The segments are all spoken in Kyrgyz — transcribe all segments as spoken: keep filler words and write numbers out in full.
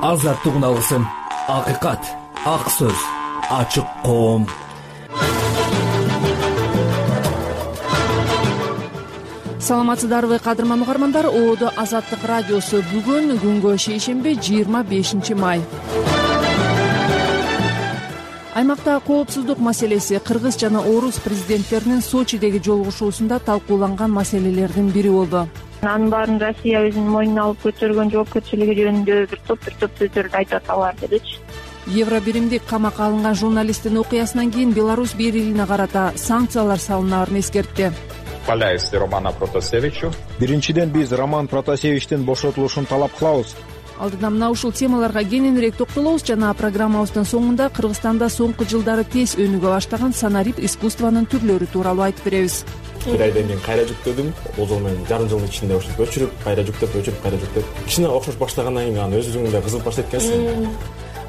азаттык үналгысын, акыйкат, ак сөз, ачык коом. Саламатсыздарбы кадырман угармандар, Оодо Азаттык радиосу. Бүгүн күнгө шейшемби, жыйырма бешинчи май. Аймакта коопсуздук маселеси кыргыз жана орус президенттеринин Сочидеги жолугушуусунда талкууланган маселелердин бири болду. Анын баарын Россия өзүнүн мойнуна алып көтөргөн жоопкерчилиги жөнүндө бир топ бир топ сөздөрдү айтып аталар дедичи. Евро биримдик камакка алынган журналисттин окуясынан кийин Беларусь бийлигине карата санкциялар салынаарын эскертти. Романа Протасевичу. Биринчиден биз Роман Протасевичтин бошотулушун талап кылабыз. Алдыда мына ушул темаларга кененирээк токтолобуз жана программабыздын соңунда Кыргызстанда соңку жылдары тез өнүгө баштаган санарип искусствонун түрлөрү тууралуу айтып беребиз. Бир айдан кийин кайра жүктөдүм. Бул мен жарым жылдын ичинде ушинтип өчүрүп, кайра жүктөп, өчүрүп, кайра жүктөп. Кичине окшош баштагандан кийин аны өз өзүңдө кызыгып баштайт экенсиң.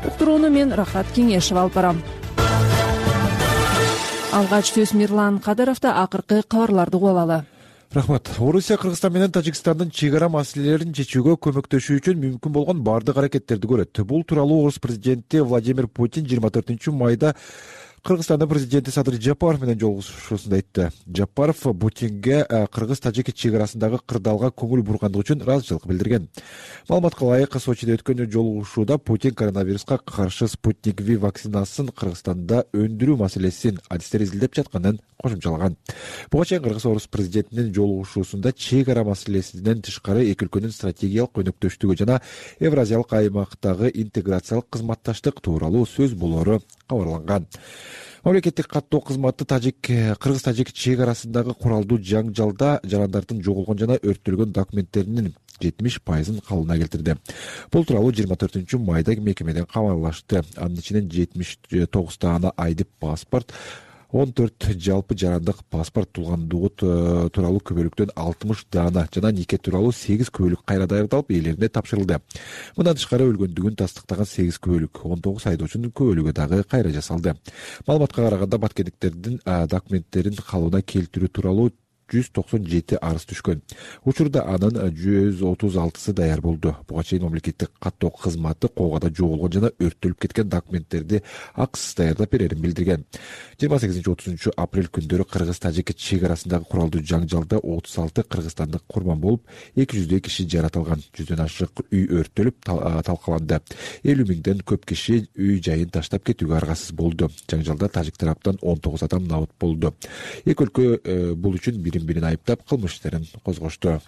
Уктурууну мен Рахат Кеңешева алып барам. Алгач сөз Мирлан Кадыровдо, акыркы кабарларды угуп алалы. Рахмат. Орусия Кыргызстан менен Тажикстандын чек ара маселелерин чечүүгө көмөктөшүү үчүн мүмкүн болгон бардык аракеттерди көрөт. Бул тууралуу Орус президенти Владимир Путин жыйырма төртүнчү майда Кыргызстандын президенти Садыр Жапаров менен жолугушуусунда айтты. Жапаров Путинге кыргыз-тажик чек арасындагы кырдаалга көңүл бургандыгы үчүн ыраазычылык билдирген. Маалыматка ылайык, Сочиде өткөн жолугушууда Путин коронавируска каршы Спутник V вакцинасын Кыргызстанда өндүрүү маселесин адистер изилдеп жатканын кошумчалаган. Буга чейин кыргыз-орус президентинин жолугушуусунда чек ара маселесинен тышкары эки өлкөнүн стратегиялык өнөктөштүгү жана Евразиялык аймактагы интеграциялык кызматташтык тууралуу сөз болору кабарланган. Мамлекеттик каттоо кызматы тажик кыргыз-тажик чек арасындагы куралдуу жаңжалда жарандардын жоголгон жана өрттөлгөн документтеринин жетимиш пайызын калыбына келтирди. Бул тууралуу жыйырма төртүнчү майда мекемеден кабарлашты. Анын ичинен жетимиш тогуз даана айдып паспорт, он төрт жалпы жарандык паспорт, туулгандыгы тууралуу күбөлүктөн алтымыш даана жана нике тууралуу сегиз күбөлүк кайра даярдалып ээлерине тапшырылды. Мындан тышкары өлгөндүгүн тастыктаган сегиз күбөлүк, он тогуз айдоочунун күбөлүгү дагы кайра жасалды. Маалыматка караганда баткендиктердин документтерин калыбына келтирүү тууралуу жүз токсон жети арыз түшкөн. Учурда анын жүз отуз алтысы даяр болду. Буга чейин мамлекеттик каттоо кызматы коогада жоголгон жана өрттөлүп кеткен документтерди акысыз даярдап берерин билдирген. жыйырма сегизинчи отузунчу апрель күндөрү кыргыз-тажик чек арасындагы куралдуу жаңжалда отуз алты кыргызстандык курман болуп, эки жүздөй киши жаратылган. Жүздөн ашык үй өрттөлүп талкаланды. элүү миңден көп киши үй жайын таштап кетүүгө аргасыз болду. Жаңжалда тажик тараптан он тогуз адам набыт болду. Эки өлкө бул үчүн бири бирин айыптап кылмыш иштерин козгошту.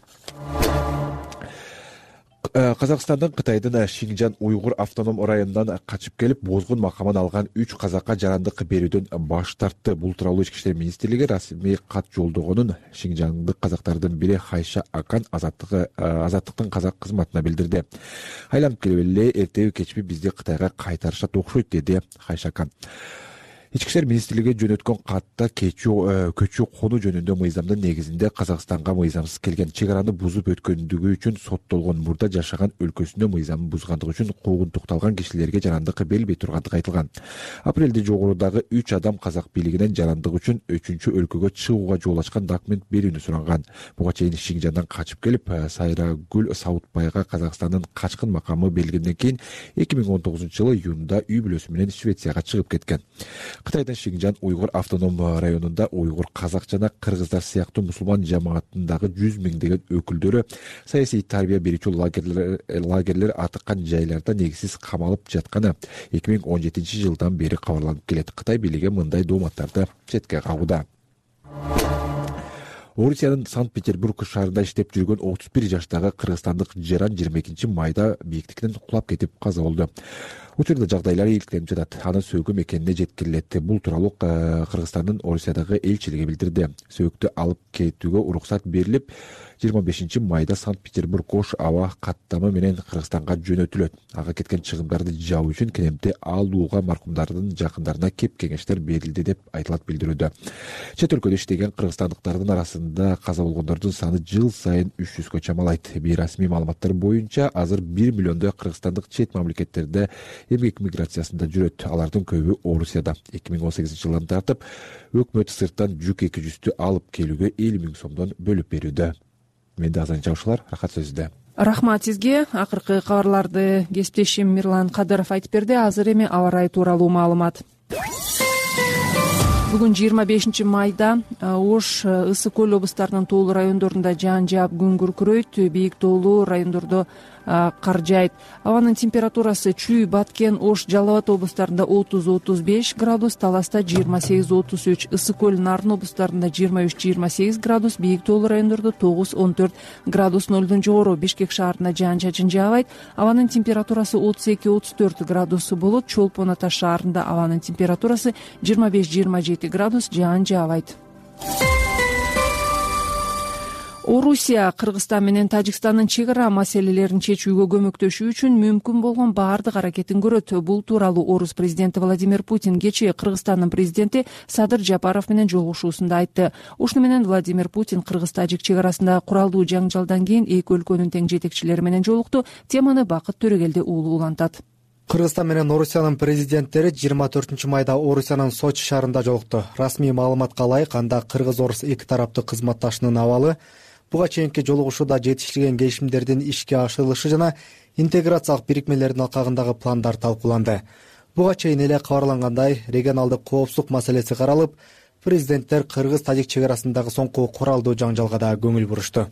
Казакстандын Кытайдын Шинжан уйгур автоном районунан качып келип, бозгун макамын алган үч казакка жарандык берүүдөн баш тартты. Бул тууралуу Ички иштер министрлиги расмий кат жолдогонун шинжандык казактардын бири Хайша Акан Азаттыктын казак кызматына билдирди. Айланып келип эле эртеби кечпи бизди Кытайга кайтарышат окшойт, деди Хайша Акан. Ички иштер министрлиги жөнөткөн катта көчүү кону жөнүндө мыйзамдын негизинде Казакстанга мыйзамсыз келген, чек араны бузуп өткөндүгү үчүн соттолгон, мурда жашаган өлкөсүндө мыйзамын бузгандыгы үчүн куугунтукталган кишилерге жарандык берилбей тургандыгы айтылган. Апрелде жогорудагы үч адам казак бийлигинен жарандык үчүн үчүнчү өлкөгө чыгууга жол ачкан документ берүүнү суранган. Буга чейин Шинжандан качып келип, Сайрагүл Саутбайга Казакстандын качкын макамы берилгенден кийин эки миң он тогузунчу жылы июнда үй бүлөсү менен Швецияга чыгып кеткен. Кытайдын Шинжан уйгур автоном районунда уйгур, казак жана кыргыздар сыяктуу мусулман жамаатындагы жүз миңдеген өкүлдөрү саясий тарбия берүүчү лагерлер, лагерлер атыккан жайларда негизсиз камалып жатканы эки миң он жетинчи жылдан бери кабарланып келет. Кытай бийлиги мындай дооматтарды четке кагууда. Орусиянын Санкт-Петербург шаарында иштеп жүргөн отуз бир жаштагы кыргызстандык жаран жыйырма экинчи майда бийиктиктен кулап кетип каза болду. Учурда жагдайлары ийгиликтенип жатат. Анын сөөгү мекенине жеткирилет. Бул тууралуу Кыргызстандын Орусиядагы элчилиги билдирди. Сөөгүттү алып кетүүгө уруксат берилип, жыйырма бешинчи майда Санкт-Петербург Ош аба каттамы менен Кыргызстанга жөнөтүлөт. Ага кеткен чыгымдарды жабуу үчүн кенемти алууга маркумдардын жакындарына кеп кеңештер берилди деп айтылат билдирүүдө. Чет өлкөдө иштеген кыргызстандыктардын арасында каза болгондордун саны жыл сайын үч жүзгө чамалайт. Бейрасмий маалыматтар боюнча азыр бир миллиондой кыргызстандык чет мамлекеттерде эмгек миграциясында жүрөт. Алардын көбү Орусияда. эки миң он сегизинчи жылдан тартып өкмөт сырттан жүк эки жүздү алып келүүгө элүү миң сомдон бөлүп берүүдө. Менде азырынча ушулар. Рахат сөзүдө. Рахмат сизге. Акыркы кабарларды кесиптешим Мирлан Кадыров айтып берди. Азыр эми аба ырайы тууралуу маалымат. Бүгүн жыйырма бешинчи майда Ош, Ысык көл облустарынын тоолуу райондорунда жаан жаап күн күркүрөйт. Бийик тоолуу райондордо кар жаайт. Абанын температурасы Чүй, Баткен, Ош, Жалал Абад облустарында отуз отуз беш градус, Таласта жыйырма сегиз отуз үч, Ысык көл, Нарын облустарында жыйырма үч жыйырма сегиз градус, Бийик тоолуу райондордо тогуз он төрт градус нолдон жогору. Бишкек шаарында жаан чачын жаабайт. Абанын температурасы отуз эки отуз төрт градус болот. Чолпон Ата шаарында абанын температурасы жыйырма беш жыйырма жети градус, жаан жаабайт. Орусия Кыргызстан менен Тажикстандын чек ара маселелерин чечүүгө көмөктөшүү үчүн мүмкүн болгон баардык аракетин көрөт. Бул тууралуу Орус президенти Владимир Путин кечээ Кыргызстандын президенти Садыр Жапаров менен жолугушуусунда айтты. Ушуну менен Владимир Путин Кыргыз-Тажик чек арасындагы куралдуу жаңжалдан кийин эки өлкөнүн тең жетекчилери менен жолукту. Теманы Бакыт Төрөгелди уулу улантат. Кыргызстан менен Орусиянын президенттери жыйырма төртүнчү майда Орусиянын Сочи шаарында жолукту. Расмий маалыматка ылайык, анда кыргыз-орус эки тараптуу кызматташуунун абалы, буга чейинки жолугушууда жетишилген келишимдердин ишке ашырылышы жана интеграциялык бирикмелердин алкагындагы пландар талкууланды. Буга чейин эле кабарлангандай, регионалдык коопсуздук маселеси каралып, президенттер кыргыз-тажик чек арасындагы соңку куралдуу жаңжалга да көңүл бурушту.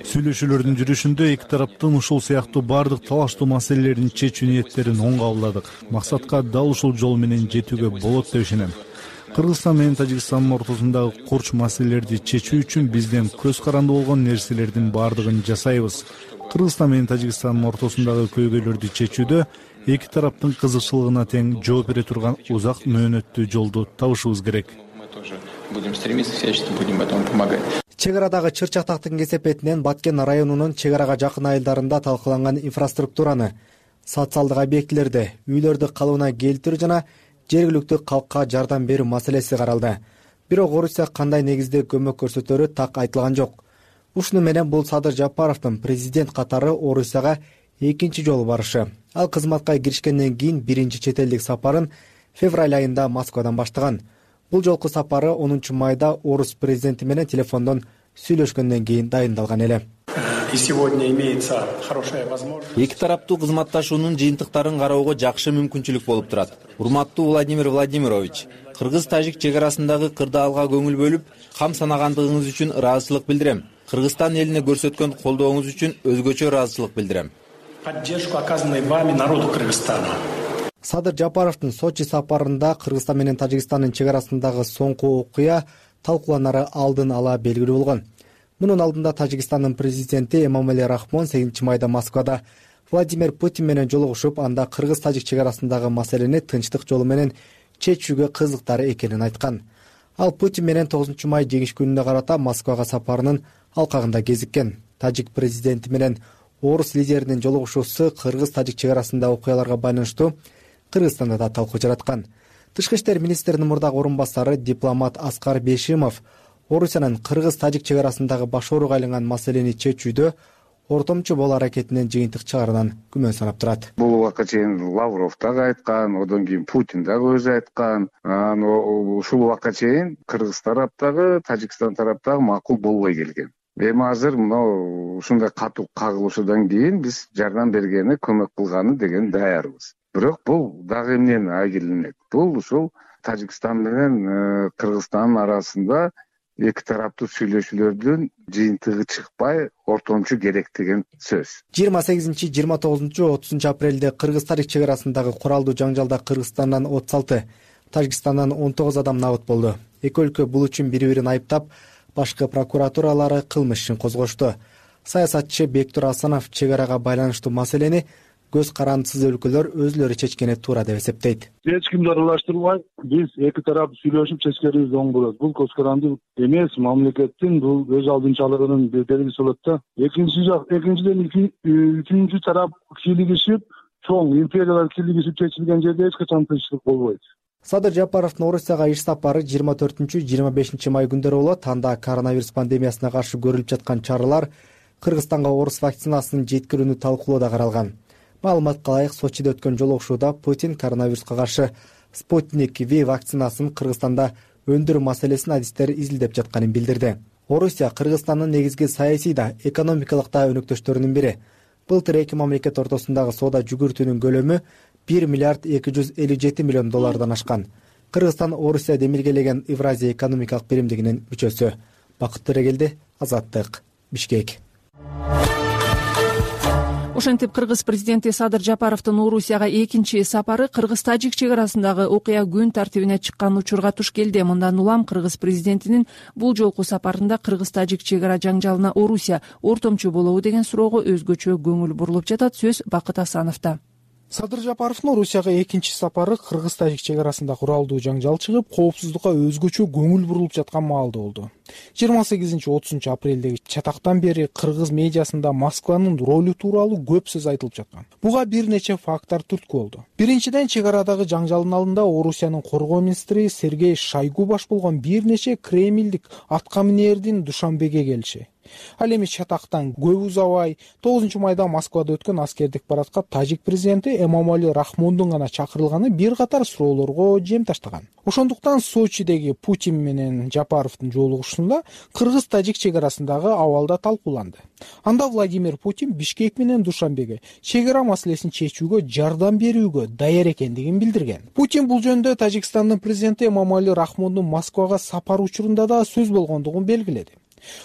Сүйлөшүүлөрдүн жүрүшүндө эки тараптын ушул сыяктуу баардык талаштуу маселелерин чечүү ниеттерин оң кабылдадык. Максатка дал ушул жол менен жетүүгө болот деп ишенем. Кыргызстан менен Тажикстандын ортосундагы курч маселелерди чечүү үчүн бизден көз каранды болгон нерселердин баардыгын жасайбыз. Кыргызстан менен Тажикстандын ортосундагы көйгөйлөрдү чечүүдө эки тараптын кызыкчылыгына тең жооп бере турган узак мөөнөттүү жолду табышыбыз керек. Чек арадагы чыр-чатактын кесепетинен Баткен районунун чек арага жакын айылдарында талкаланган инфраструктураны, социалдык объектилерди, үйлөрдү калыбына келтирүү жана жергиликтүү калкка жардам берүү маселеси каралды. Бирок Орусия кандай негизде көмөк көрсөтөрү так айтылган жок. Ушуну менен бул Садыр Жапаровдун президент катары Орусияга экинчи жолу барышы. Ал кызматка киришкенден кийин биринчи чет элдик сапарын февраль айында Москвадан баштаган. Бул жолку сапары онунчу майда Орус президенти менен телефондон сүйлөшкөндөн кийин дайындалган эле. Эки тараптуу кызматташуунун жыйынтыктарын кароого жакшы мүмкүнчүлүк болуп турат. Урматтуу Владимир Владимирович, кыргыз-тажик чек арасындагы кырдаалга көңүл бөлүп, кам санагандыгыңыз үчүн ыраазычылык билдирем. Кыргызстан элине көрсөткөн колдооңуз үчүн өзгөчө ыраазычылык билдирем. Поддержку оказанной вами народу Кыргызстана. Садыр Жапаровдун Сочи сапарында Кыргызстан менен Тажикстандын чек арасындагы соңку окуя талкууланары алдын ала белгилүү болгон. Мунун алдында Тажикстандын президенти Эмомали Рахмон сегизинчи майда Москвада Владимир Путин менен жолугушуп, анда кыргыз-тажик чек арасындагы маселени тынчтык жолу менен чечүүгө кызыктары экенин айткан. Ал Путин менен тогузунчу май жеңиш күнүнө карата Москвага сапарынын алкагында кезиккен. Тажик президенти менен орус лидеринин жолугушуусу кыргыз-тажик чек арасындагы окуяларга байланыштуу Кыргызстанда да талкуу жараткан. Тышкы иштер министринин мурдагы орун басары дипломат Аскар Бейшимов Орусиянын кыргыз-тажик чек арасындагы башооруга айланган маселени чечүүдө ортомчу болуу аракетинен жыйынтык чыгарынан күмөн санап турат. Бул убакка чейин Лавров дагы айткан, одан кийин Путин дагы өзү айткан. Ушул убакка чейин Кыргыз тараптагы, Тажикстан тараптагы макул болбой келген. Эми азыр мына ушундай катуу кагылышуудан кийин биз жардам бергени, көмөк кылганы деген даярбыз. Бирок бул дагы эмнени айгиленет? Бул ушул Тажикстан менен Кыргызстандын арасында эки тараптуу сүйлөшүүлөрдүн жыйынтыгы чыкпай ортомчу керек деген сөз. жыйырма сегизинчи, жыйырма тогузунчу, отузунчу апрелде Кыргыз-тажик чек арасындагы куралдуу жаңжалда Кыргызстандан отуз алты, Тажикстандан он тогуз адам набыт болду. Эки өлкө бул үчүн бири-бирин айыптап, башкы прокуратуралары кылмыш ишин козгошту. Саясатчы Бектур Асанов чек арага байланыштуу маселени көз карандысыз өлкөлөр өзүлөрү чечкени туура деп эсептейт. Эч кимди аралаштырбай, биз эки тарап сүйлөшүп чечкенибиз оң болот. Бул көз каранды эмес, мамлекеттин бул өз алдынчалыгынын белгиси болот да. Экинчи жак, экинчиден үчүнчү тарап кийлигишип, чоң империялар кийлигишип чечилген жерде эч качан тынчтык болбойт. Садыр Жапаровдун Орусияга иш сапары жыйырма төртүнчү, жыйырма бешинчи май күндөрү болот. Анда коронавирус пандемиясына каршы көрүлүп жаткан чаралар, Кыргызстанга орус вакцинасын жеткирүүнү талкуулоо да каралган. Маалыматка ылайык, Сочиде өткөн жолугушууда Путин коронавируска каршы Спутник V вакцинасын Кыргызстанда өндүрүү маселесин адистер изилдеп жатканын билдирди. Орусия Кыргызстандын негизги саясий да, экономикалык да өнөктөштөрүнүн бири. Былтыр эки мамлекет ортосундагы соода жүгүртүүнүн көлөмү бир миллиард эки жүз элүү жети миллион доллардан ашкан. Кыргызстан Орусия демилгелеген Евразия экономикалык биримдигинин мүчөсү. Бакыт Төрөгелди, Азаттык, Бишкек. Ошентип кыргыз президенти Садыр Жапаровдун Орусияга экинчи сапары кыргыз-тажик чек арасындагы окуя күн тартибине чыккан учурга туш келди. Мындан улам кыргыз президентинин бул жолку сапарында кыргыз-тажик чек ара жаңжалына Орусия ортомчу болобу деген суроого өзгөчө көңүл бурулуп жатат. Сөз Бакыт Асановдо. Садыр Жапаровдун Орусияга экинчи сапары кыргыз-тажик чек арасында куралдуу жаңжал чыгып, коопсуздукка өзгөчө көңүл бурулуп жаткан маалда болду. жыйырма сегизинчи отузунчу апрелдеги чатактан бери кыргыз медиасында Москванын ролу тууралуу көп сөз айтылып жаткан. Буга бир нече факттар түрткү болду. Биринчиден, чек арадагы жаңжалдын алдында Орусиянын коргоо министри Сергей Шойгу баш болгон бир нече кремлдик аткаминердин Душанбеге келиши. Ал эми чатактан көп узабай тогузунчу майда Москвада өткөн аскердик парадка тажик президенти Эмомали Рахмондун гана чакырылганы бир катар суроолорго жем таштаган. Ошондуктан Сочидеги Путин менен Жапаровдун жолугушуусунда кыргыз-тажик чек арасындагы абал да талкууланды. Анда Владимир Путин Бишкек менен Душанбеге чек ара маселесин чечүүгө жардам берүүгө даяр экендигин билдирген. Путин бул жөнүндө Тажикстандын президенти Эмомали Рахмондун Москвага сапар учурунда да сөз болгондугун белгиледи.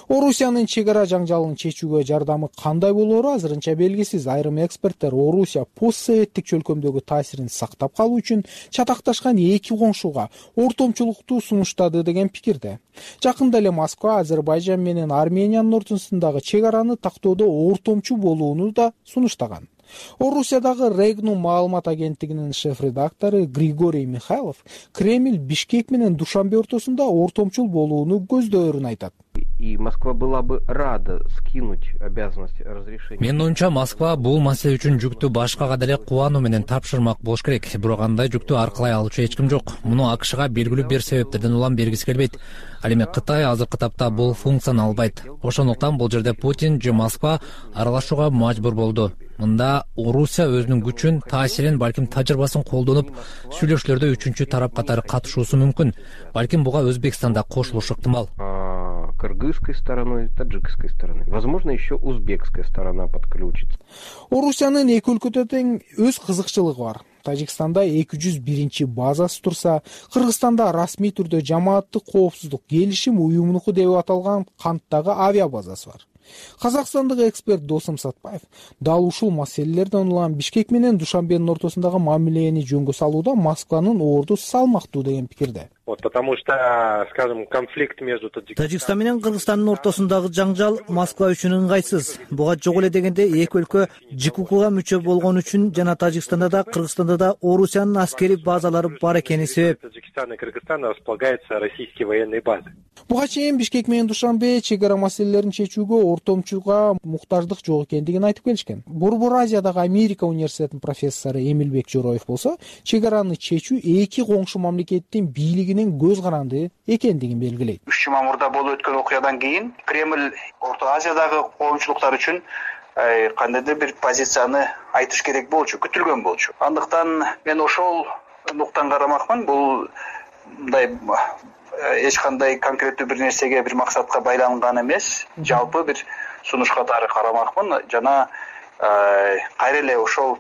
Орусиянын чек ара жаңжалын чечүүгө жардамы кандай болоору азырынча белгисиз. Айрым эксперттер Орусия постсоветтик чөлкөмдөгү таасирин сактап калуу үчүн чатакташкан эки коңшуга ортомчулукту сунуштады деген пикирде. Жакында эле Москва Азербайжан менен Армениянын ортосундагы чек араны тактоодо ортомчу болууну да сунуштаган. Орусиядагы Регнум маалымат агенттигинин шеф-редактору Григорий Михайлов Кремль Бишкек менен Душанбе ортосунда ортомчул болууну көздөөрүн айтат. И Москва была бы рада скинуть обязанность разрешения. Менин оюмча Москва бул маселе үчүн жүктү башкага деле кубануу менен тапшырмак болуш керек. Бирок андай жүктү аркылай алуучу эч ким жок. Муну АКШга белгилүү бир себептерден улам бергиси келбейт. Ал эми Кытай азыркы тапта бул функцияны албайт. Ошондуктан бул жерде Путин же Москва аралашууга мажбур болду. Мында Орусия өзүнүн күчүн, таасирин, балким тажрыйбасын колдонуп, сүйлөшүүлөрдө үчүнчү тарап катары катышуусу мүмкүн. Балким буга Өзбекстан да кошулушу ыктымал. Кыргызской стороной, таджикской стороной. Возможно, еще узбекская сторона подключится. Орусиянын эки өлкөдө тең өз кызыкчылыгы бар. Тажикстанда эки жүз биринчи базасы турса, Кыргызстанда расмий түрдө жамааттык коопсуздук келишим уюмунуку деп аталган Канттагы авиа базасы бар. Казакстандык эксперт Досум Сатпаев дал ушул маселелерден улам Бишкек менен Душанбенин ортосундагы мамилени жөнгө салууда Москванын орду салмактуу деген пикирде. Вот, потому что, скажем, конфликт между Тажикстан менен Кыргызстандын ортосундагы жаңжал Москва үчүн ыңгайсыз. Буга жок эле дегенде эки өлкө ЖКУКга мүчө болгон үчүн жана Тажикстанда да, Кыргызстанда да Орусиянын аскери базалары бар экени себеп. Таджикстан и Кыргызстан располагаются российские военные базы. Буга чейин Бишкек менен Душанбе чек ара маселелерин чечүүгө ортомчуга муктаждык жок экендигин айтып келишкен. Борбор Азиядагы Америка университетинин профессору Эмилбек Жороев болсо, чек араны чечүү эки коңшу мамлекеттин бийлигинин көз каранды экендигин белгилейт. үч жума мурда болуп өткөн окуядан кийин Кремль Орто Азиядагы коомчулуктар үчүн кандайдыр бир позицияны айтыш керек болчу, күтүлгөн болчу. Андыктан мен ошол нуктан карамакмын. Бул мындай эч кандай конкреттүү бир нерсеге, бир максатка байланган эмес, жалпы бир сунуш катары карамакмын. Жана кайра эле ошол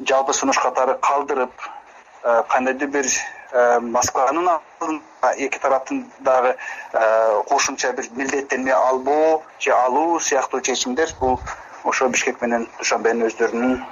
жалпы сунуш катары калдырып, кандайдыр бир Москванын эки тараптын дагы кошумча бир милдеттенме албоо же алуу сыяктуу чечимдер бул ошо Бишкек менен Душанбенин өздөрүнүн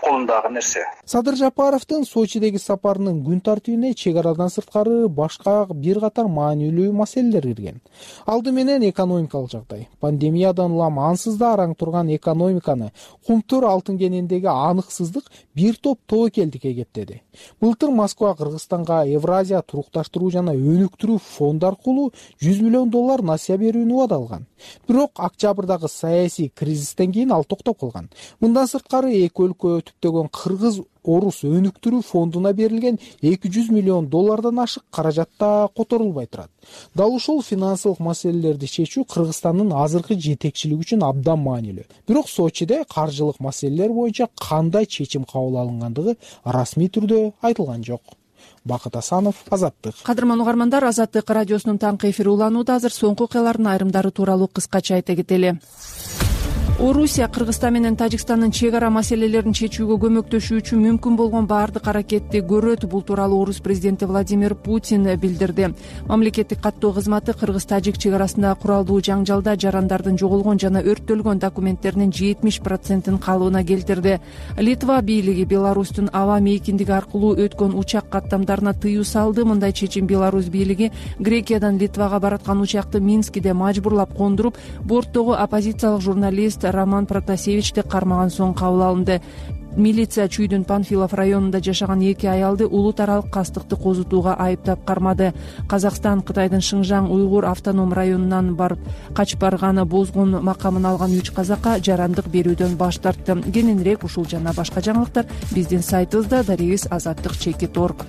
колундагы нерсе. Садыр Жапаровдун Сочидеги сапарынын күн тартибине чек арадан сырткары башка бир катар маанилүү маселелер кирген. Алды менен экономикалык жагдай. Пандемиядан улам ансыз да араң турган экономиканы кумтур алтын кенендеги аныксыздык бир топ тобокелдикке кептеди. Былтыр Москва Кыргызстанга Евразия турукташтыруу жана өнүктүрүү фонду аркылуу жүз миллион доллар насыя берүүнү убадалган. Бирок октябрдагы саясий кризистен кийин ал токтоп калган. Мындан сырткары эки өлкө түптөгөн кыргыз Орус өнүктүрүү фондуна берилген эки жүз миллион доллардан ашык каражат да которулбай турат. Дал ушул финансылык маселелерди чечүү Кыргызстандын азыркы жетекчилиги үчүн абдан маанилүү. Бирок Сочиде каржылык маселелер боюнча кандай чечим кабыл алынгандыгы расмий түрдө айтылган жок. Бакыт Асанов, Азаттык. Кадырман угармандар, Азаттык радиосунун таңкы эфири уланууда. Азыр соңку окуялардын айрымдары тууралуу кыскача айта кетели. Орусия Кыргызстан менен Тажикстандын чек ара маселелерин чечүүгө көмөктөшүү үчүн мүмкүн болгон баардык аракетти көрөт. Бул тууралуу Орус президенти Владимир Путин билдирди. Мамлекеттик каттоо кызматы Кыргыз-Тажик чек арасындагы куралдуу жаңжалда жарандардын жоголгон жана өрттөлгөн документтеринин жетимиш процентин калыбына келтирди. Литва бийлиги Беларустун аба мейкиндиги аркылуу өткөн учак каттамдарына тыюу салды. Мындай чечим Беларусь бийлиги Грекиядан Литвага бараткан учакты Минскиде мажбурлап кондуруп, борттогу оппозициялык журналист Роман Протасевичти кармаган соң кабыл алынды. Милиция Чүйдүн Панфилов районунда жашаган эки аялды улут аралык кастыкты козутууга айыптап кармады. Казакстан Кытайдын Шыңжаң уйгур автоном районунан барып качып барганы бозгун макамын алган үч казакка жарандык берүүдөн баш тартты. Кененирээк ушул жана башка жаңылыктар биздин сайтыбызда дарегиз азаттык чекит точка орг.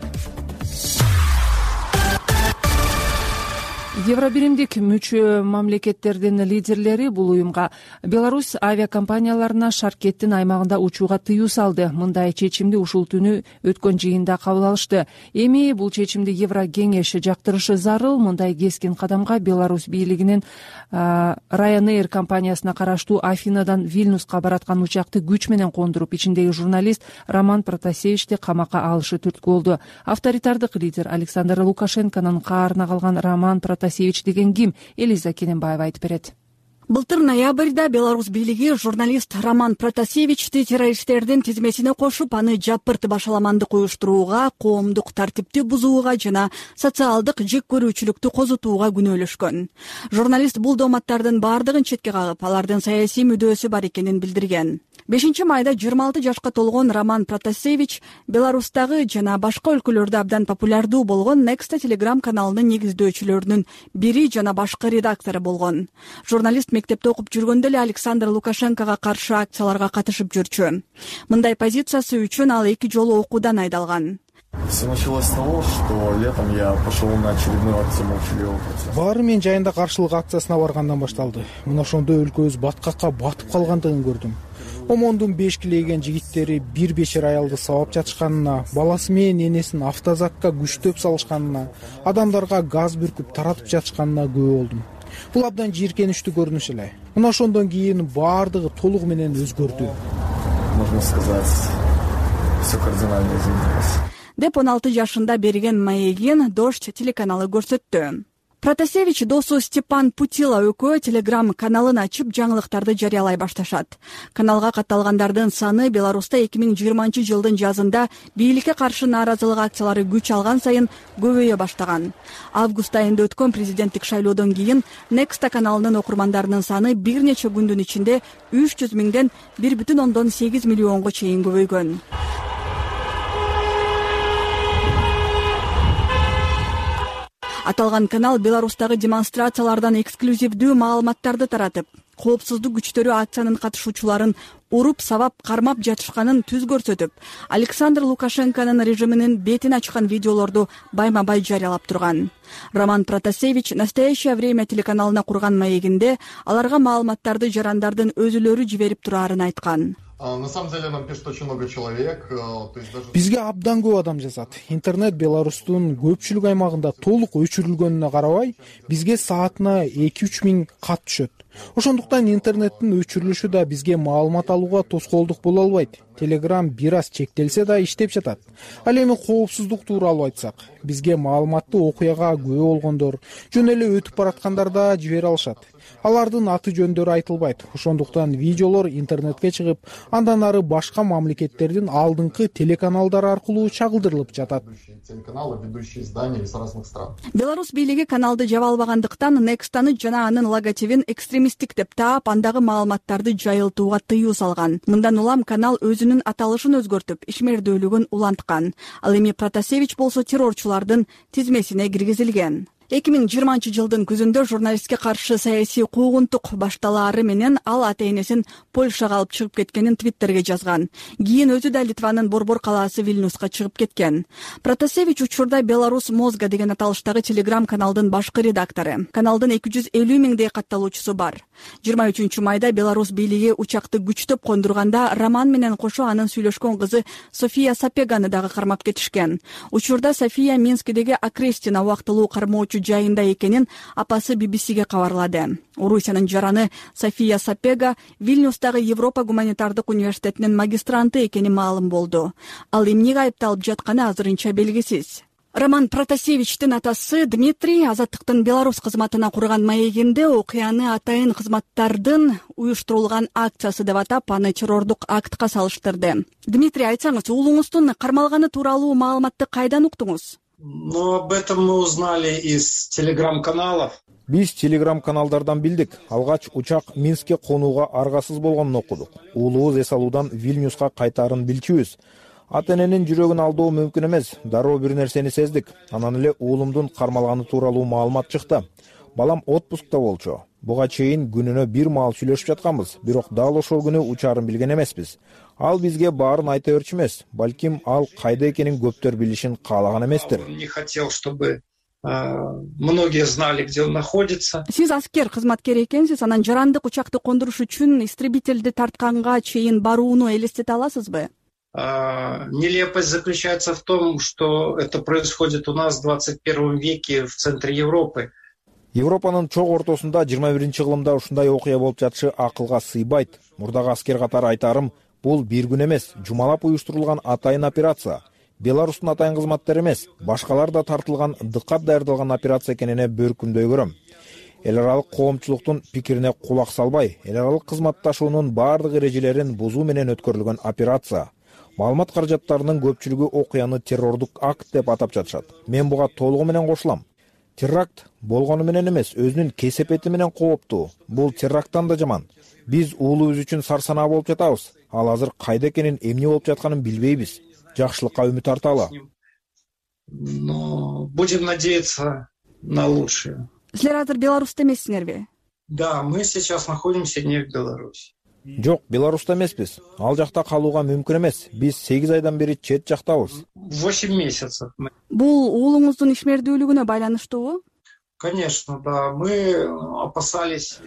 Евробиримдик мүчө мамлекеттердин лидерлери бул уюмга Беларусь авиакомпанияларына Шаркеттин аймагында учууга тыюу салды. Мындай чечимди ушул түнү өткөн жыйында кабыл алышты. Эми бул чечимди Еврокеңеш жактырышы зарыл. Мындай кескин кадамга Беларусь бийлигинин Ryanair компаниясына караштуу Афинадан Вильнюска бараткан учакты күч менен кондуруп, ичиндеги журналист Роман Протасевичти камакка алышы түрткү болду. Авторитардык лидер Александр Лукашенконун каарына калган Роман Протасевич деген ким? Элиза Кененбаева айтып берет. Былтыр ноябрда Беларусь бийлиги журналист Роман Протасевичти террористтердин тизмесине кошуп, аны жапырт башаламандык уюштурууга, коомдук тартипти бузууга жана социалдык жек көрүүчүлүктү козутууга күнөөлөшкөн. Журналист бул дооматтардын баардыгын четке кагып, алардын саясий мүдөөсү бар экенин билдирген. бешинчи майда жыйырма алты жашка толгон Роман Протасевич Беларустагы жана башка өлкөлөрдө абдан популярдуу болгон Nexta Telegram каналынын негиздөөчүлөрүнүн бири жана башкы редактору болгон. Журналист мектепте окуп жүргөндө эле Александр Лукашенкого каршы акцияларга катышып жүрчү. Мындай позициясы үчүн ал эки жолу окуудан айдалган. Все началось с того, что летом я пошел на очередную акцию молчаливого протеста. Баары мен жайында каршылык акциясына баргандан башталды. Мына ошондо өлкөбүз баткакка батып калгандыгын көрдүм. Омондун беш килейген жигиттери бир бешер аялды сабап жатышканына, баласы менен энесин автозакка күчтөп салышканына, адамдарга газ бүркүп таратып жатышканына күбө болдум. Бул абдан жийиркеничтүү көрүнүш эле. Мына ошондон кийин баардыгы толугу менен өзгөрдү. Можно сказать, все кардинально изменилось. Деп он алты жашында берген маегин Дождь телеканалы көрсөттү. Протасевич досу Степан Путила экөө Telegram каналын ачып жаңылыктарды жарыялай башташат. Каналга катталгандардын саны Беларуста эки миң жыйырманчы жылдын жазында бийликке каршы нааразылык акциялары күч алган сайын көбөйө баштаган. Август айында өткөн президенттик шайлоодон кийин Nexta каналынын окурмандарынын саны бир нече күндүн ичинде үч жүз миңден бир бүтүн ондон сегиз миллионго чейин көбөйгөн. Аталган канал Беларустагы демонстрациялардан эксклюзивдүү маалыматтарды таратып, коопсуздук күчтөрү акциянын катышуучуларын уруп, сабап, кармап жатышканын түз көрсөтүп, Александр Лукашенконун режиминин бетин ачкан видеолорду байма-бай жарыялап турган. Роман Протасевич «Настоящее время» телеканалына курган маегинде аларга маалыматтарды жарандардын өзүлөрү жиберип турарын айткан. На самом деле нам пишет очень много человек. Бизге абдан көп адам жазат. Интернет Беларустун көпчүлүк аймагында толук өчүрүлгөнүнө карабай, бизге саатына эки үч миң кат түшөт. Ошондуктан интернеттин өчүрүлүшү да бизге маалымат алууга тоскоолдук боло албайт. Telegram бир аз чектелсе да иштеп жатат. Ал эми коопсуздук тууралуу айтсак, бизге маалыматты окуяга күбө болгондор, жөн эле өтүп бараткандар да жибере алышат. Алардын аты жөндөрү айтылбайт. Ошондуктан видеолор интернетке чыгып, андан ары башка мамлекеттердин алдыңкы телеканалдары аркылуу чагылдырылып жатат. Телеканалы, ведущие издания из разных стран. Беларусь бийлиги каналды жаба албагандыктан Nextаны жана анын логотипин экстремисттик деп таап, андагы маалыматтарды жайылтууга тыюу салган. Мындан улам канал өзүнүн аталышын өзгөртүп, ишмердүүлүгүн уланткан. Ал эми Протасевич болсо террорчулардын тизмесине киргизилген. эки миң жыйырманчы жылдын күзүндө журналистке каршы саясий куугунтук башталаары менен ал ата энесин Польшага алып чыгып кеткенин Твиттерге жазган. Кийин өзү да Литванын борбор калаасы Вильнюска чыгып кеткен. Протасевич учурда Беларусь Мозга деген аталыштагы телеграм каналдын башкы редактору. Каналдын эки жүз элүү миңдей катталуучусу бар. жыйырма үчүнчү майда Беларусь бийлиги учакты күчтөп кондурганда Роман менен кошо анын сүйлөшкөн кызы София Сапеганы дагы кармап кетишкен. Учурда София Минскидеги Окрестина убактылуу кармоочу жайында экенин апасы би би сиге кабарлады. Орусиянын жараны София Сапега Вильнюстагы Европа гуманитардык университетинин магистранты экени маалым болду. Ал эмнеге айыпталып жатканы азырынча белгисиз. Роман Протасевичтин атасы Дмитрий Азаттыктын Беларусь кызматына курган маегинде окуяны атайын кызматтардын уюштурулган акциясы деп атап, аны террордук актка салыштырды. Дмитрий, айтсаңыз, уулуңуздун кармалганы тууралуу маалыматты кайдан уктуңуз? Ну, об этом мы узнали из телеграм-каналов. Биз телеграм-каналдардан билдик. Алгач учак Минскке конууга аргасыз болгонун окудук. Уулубуз эс алуудан Вильнюска кайтаарын билчүбүз. Ата эненин жүрөгүн алдоо мүмкүн эмес. Дароо бир нерсени сездик. Анан эле уулумдун кармалганы тууралуу маалымат чыкты. Балам отпускта болчу. Буга чейин күнүнө бир маал сүйлөшүп жатканбыз, бирок дал ошол күнү учаарын билген эмеспиз. Ал бизге баарын айта берчү эмес. Балким ал кайда экенин көптөр билишин каалаган эместир. Он не хотел, чтобы многие знали, где он находится. Сиз аскер кызматкер экенсиз, анан жарандык учакты кондуруш үчүн истребительди тартканга чейин барууну элестете аласызбы? Нелепость заключается в том, что это происходит у нас в двадцать первом веке в центре Европы. Европанын чоң ортосунда жыйырма биринчи кылымда ушундай окуя болуп жатышы акылга сыйбайт. Мурдагы аскер катары айтарым, бул бир күн эмес, жумалап уюштурулган атайын операция. Беларустун атайын кызматтары эмес, башкалар да тартылган, дыккат даярдалган операция экенине бөркүмдөй көрөм. Эл аралык коомчулуктун пикирине кулак салбай, эл аралык кызматташуунун баардык эрежелерин бузуу менен өткөрүлгөн операция. Маалымат каражаттарынын көпчүлүгү окуяны террордук акт деп атап жатышат. Мен буга толугу менен кошулам. Теракт болгону менен эмес, өзүнүн кесепети менен кооптуу. Бул теракттан да жаман. Биз уулубуз үчүн сарсанаа болуп жатабыз. Ал азыр кайда экенин, эмне болуп жатканын билбейбиз. Жакшылыкка үмүт арталы. Но будем надеяться на лучшее. Силер азыр Беларусьта эмессиңерби? Да, мы сейчас находимся не в Беларуси. Жок, Беларуста эмеспиз. Ал жакта калууга мүмкүн эмес. Биз сегиз айдан бери чет жактабыз. восемь месяцев. Бул уулуңуздун ишмердүүлүгүнө байланыштуубу? Конечно, да. Мы опасались.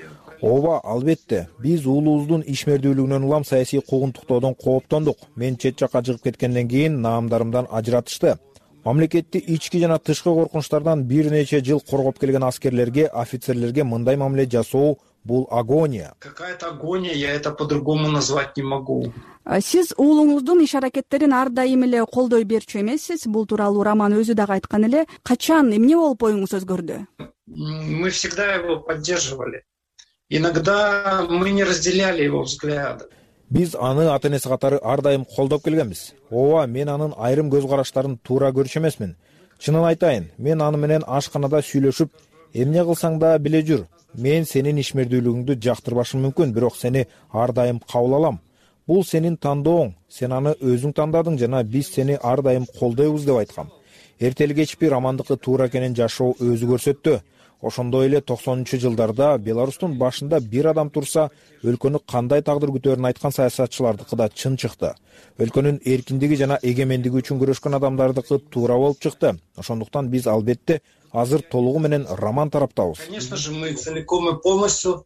Ооба, албетте. Биз уулубуздун ишмердүүлүгүнөн улам саясий куугунтуктоодон кооптондук. Мен чет жакка чыгып кеткенден кийин наамдарымдан ажыратышты. Мамлекетти ички жана тышкы коркунучтардан бир нече жыл коргоп келген аскерлерге, офицерлерге мындай мамиле жасоо бул агония. Какая-то агония, я это по-другому назвать не могу. Сиз уулуңуздун иш аракеттерин ар дайым эле колдой берчү эмессиз. Бул тууралуу Роман өзү дагы айткан эле. Качан, эмне болуп оюңуз өзгөрдү? Мы всегда его поддерживали. Иногда мы не разделяли его взгляды. Биз аны ата энеси катары ар дайым колдоп келгенбиз. Ооба, мен анын айрым көз караштарын туура көрчү эмесмин. Чынын айтайын, мен аны менен ашканада сүйлөшүп, эмне кылсаң да биле жүр. Мен сенин ишмердүүлүгүңдү жактырбашым мүмкүн, бирок сени ар дайым кабыл алам. Бул сенин тандооң, сен аны өзүң тандадың жана биз сени ар дайым колдойбуз деп айткам. Эртели кечпи Романдыкы туура экенин жашоо өзү көрсөттү. Ошондой эле токсонунчу жылдарда Беларустун башында бир адам турса, өлкөнү кандай тагдыр күтөөрүн айткан саясатчылардыкы да чын чыкты. Өлкөнүн эркиндиги жана эгемендиги үчүн күрөшкөн адамдардыкы туура болуп чыкты. Ошондуктан биз албетте азыр толугу менен Роман тараптабыз. Конечно же, мы целиком и полностью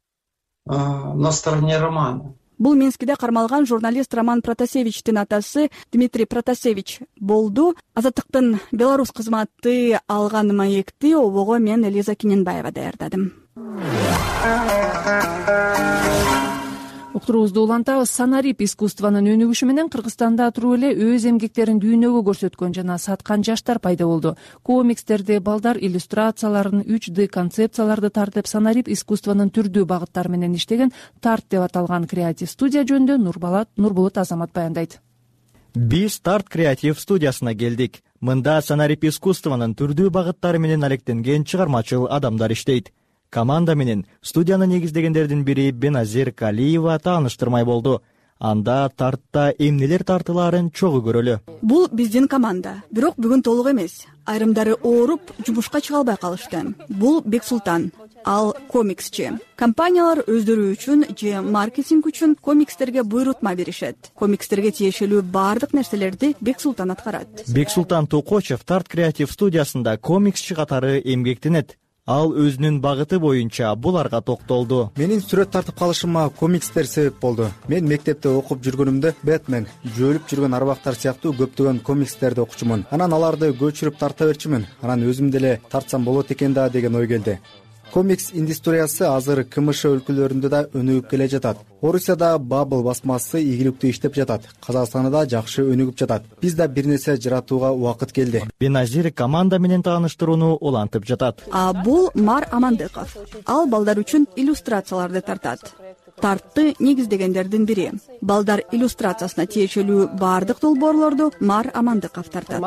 на стороне Романа. Бул Минскиде кармалган журналист Роман Протасевичтин атасы Дмитрий Протасевич болду. Азаттыктын Беларусь кызматы алган маекти обого мен Элиза Киненбаева даярдадым. Уктуруубузду улантабыз. Санарип искусствонун өнүгүшү менен Кыргызстанда туруп эле өз эмгектерин дүйнөгө көрсөткөн жана саткан жаштар пайда болду. Комикстерди, балдар иллюстрацияларын, үч дэ концепцияларды тартып, санарип искусствонун түрдүү багыттары менен иштеген Тарт деп аталган креатив студия жөнүндө Нурболот Азамат баяндайт. Биз Тарт креатив студиясына келдик. Мында санарип искусствонун түрдүү багыттары менен алектенген чыгармачыл адамдар иштейт. Команда менен студияны негиздегендердин бири Беназир Калиева тааныштырмай болду. анда тартта эмнелер тартылаарын чогуу көрөлү. Бул биздин команда, бирок бүгүн толук эмес. Айрымдары ооруп, жумушка чыга албай калышты. Бул Бексултан, ал комиксчи. Компаниялар өздөрү үчүн же маркетинг үчүн комикстерге буйрутма беришет. Комикстерге тиешелүү баардык нерселерди Бексултан аткарат. Бексултан Токочев Тарт креатив студиясында комиксчи катары эмгектенет. Ал өзүнүн багыты боюнча буларга токтолду. Менин сүрөт тартып калышыма комикстер себеп болду. Мен мектепте окуп жүргөнүмдө Бэтмен, жөөлүп жүргөн арбактар сыяктуу көптөгөн комикстерди окучумун. Анан аларды көчүрүп тарта берчүмүн. Анан өзүм деле тартсам болот экен да деген ой келди. Комикс индустриясы азыр КМШ өлкөлөрүндө да өнүгүп келе жатат. Орусияда Бабл басмасы ийгиликтүү иштеп жатат. Казакстанда да жакшы өнүгүп жатат. Биз да бир нерсе жаратууга убакыт келди. Беназир команда менен тааныштырууну улантып жатат. А бул Мар Амандыков. Ал балдар үчүн иллюстрацияларды тартат. Тартты негиздегендердин бири. Балдар иллюстрациясына тиешелүү баардык долбоорлорду Мар Амандыков тартат.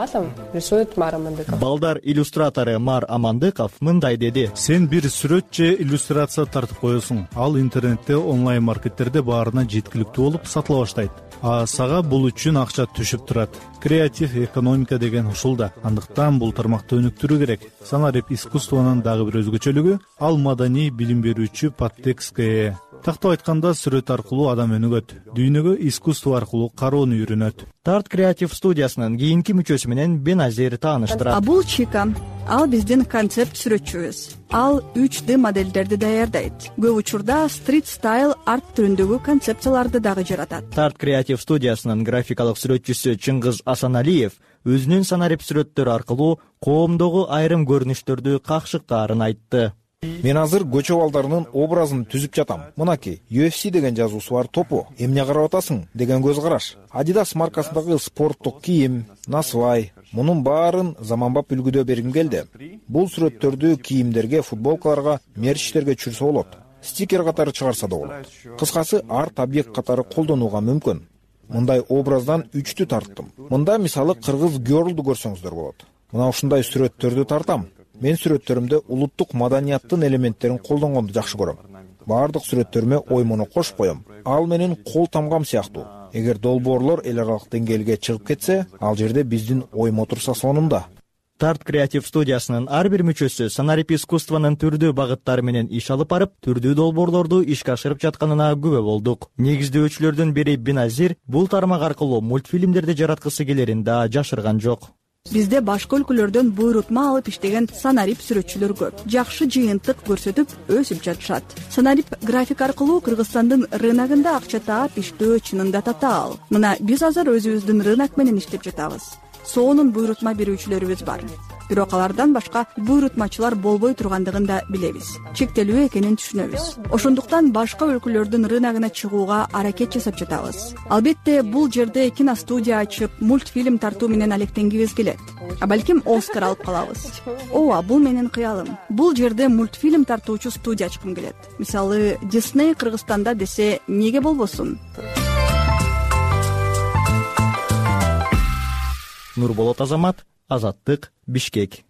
Балдар иллюстратору Мар Амандыков мындай деди: Сен бир сүрөт же иллюстрация тартып коесуң. Ал интернетте онлайн маркеттерде баарына жеткиликтүү болуп сатыла баштайт. А сага бул үчүн акча түшүп турат. Креатив экономика деген ушул да. Андыктан бул тармакты өнүктүрүү керек. Санарип искусствонун дагы бир өзгөчөлүгү ал маданий билим берүүчү подтекстке ээ. Тактап айтканда сүрөт аркылуу адам өнүгөт, дүйнөгө искусство аркылуу кароону үйрөнөт. Тарт креатив студиясынын кийинки мүчөсү менен Беназир тааныштырат. А бул Чика. Ал биздин концепт сүрөтчүбүз. Ал үч дэ модельдерди даярдайт. Көп учурда стрит стайл арт түрүндөгү концепцияларды дагы жаратат. Тарт креатив студиясынын графикалык сүрөтчүсү Чыңгыз Асаналиев өзүнүн санарип сүрөттөрү аркылуу коомдогу айрым көрүнүштөрдү какшыктаарын айтты. Мен азыр көчө балдарынын образын түзүп жатам. Мынакей, ю эф си деген жазуусу бар топу, эмне карап атасың деген көз караш. Adidas маркасындагы спорттук кийим, насвай, мунун баарын заманбап үлгүдө бергим келди. Бул сүрөттөрдү кийимдерге, футболкаларга, мерчтерге түшүрсө болот. Стикер катары чыгарса да болот. Кыскасы арт объект катары колдонууга мүмкүн. Мындай образдан үчтү тарттым. Мында мисалы кыргыз гёрлду көрсөңүздөр болот. Мына ушундай сүрөттөрдү тартам. Мен сүрөттөрүмдө улуттук маданияттын элементтерин колдонгонду жакшы көрөм. Баардык сүрөттөрүмө оймону кошуп коем. Ал менин кол тамгам сыяктуу. Эгер долбоорлор эл аралык деңгээлге чыгып кетсе, ал жерде биздин оймо турса сонунда. Тарт креатив студиясынын ар бир мүчөсү санарип искусствонун түрдүү багыттары менен иш алып барып, түрдүү долбоорлорду ишке ашырып жатканына күбө болдук. Негиздөөчүлөрдүн бири Беназир бул тармак аркылуу мультфильмдерди жараткысы келерин да жашырган жок. Бизде башка өлкөлөрдөн буйрутма алып иштеген санарип сүрөтчүлөр көп. Жакшы жыйынтык көрсөтүп, өсүп жатышат. Санарип график аркылуу Кыргызстандын рыногунда акча таап иштөө чынында татаал. Мына биз азыр өзүбүздүн рынок менен иштеп жатабыз. Соонун буйрутма берүүчүлөрүбүз бар. Бирок алардан башка буйрутмачылар болбой тургандыгын да билебиз. Чектелүү экенин түшүнөбүз. Ошондуктан башка өлкөлөрдүн рыногуна чыгууга аракет жасап жатабыз. Албетте, бул жерде киностудия ачып, мультфильм тартуу менен алектенгибиз келет. А балким Оскар алып калабыз. Ооба, бул менин кыялым. Бул жерде мультфильм тартуучу студия ачкым келет. Мисалы, Disney Кыргызстанда десе, неге болбосун? Нурболот Азамат, Азаттык, Бишкек.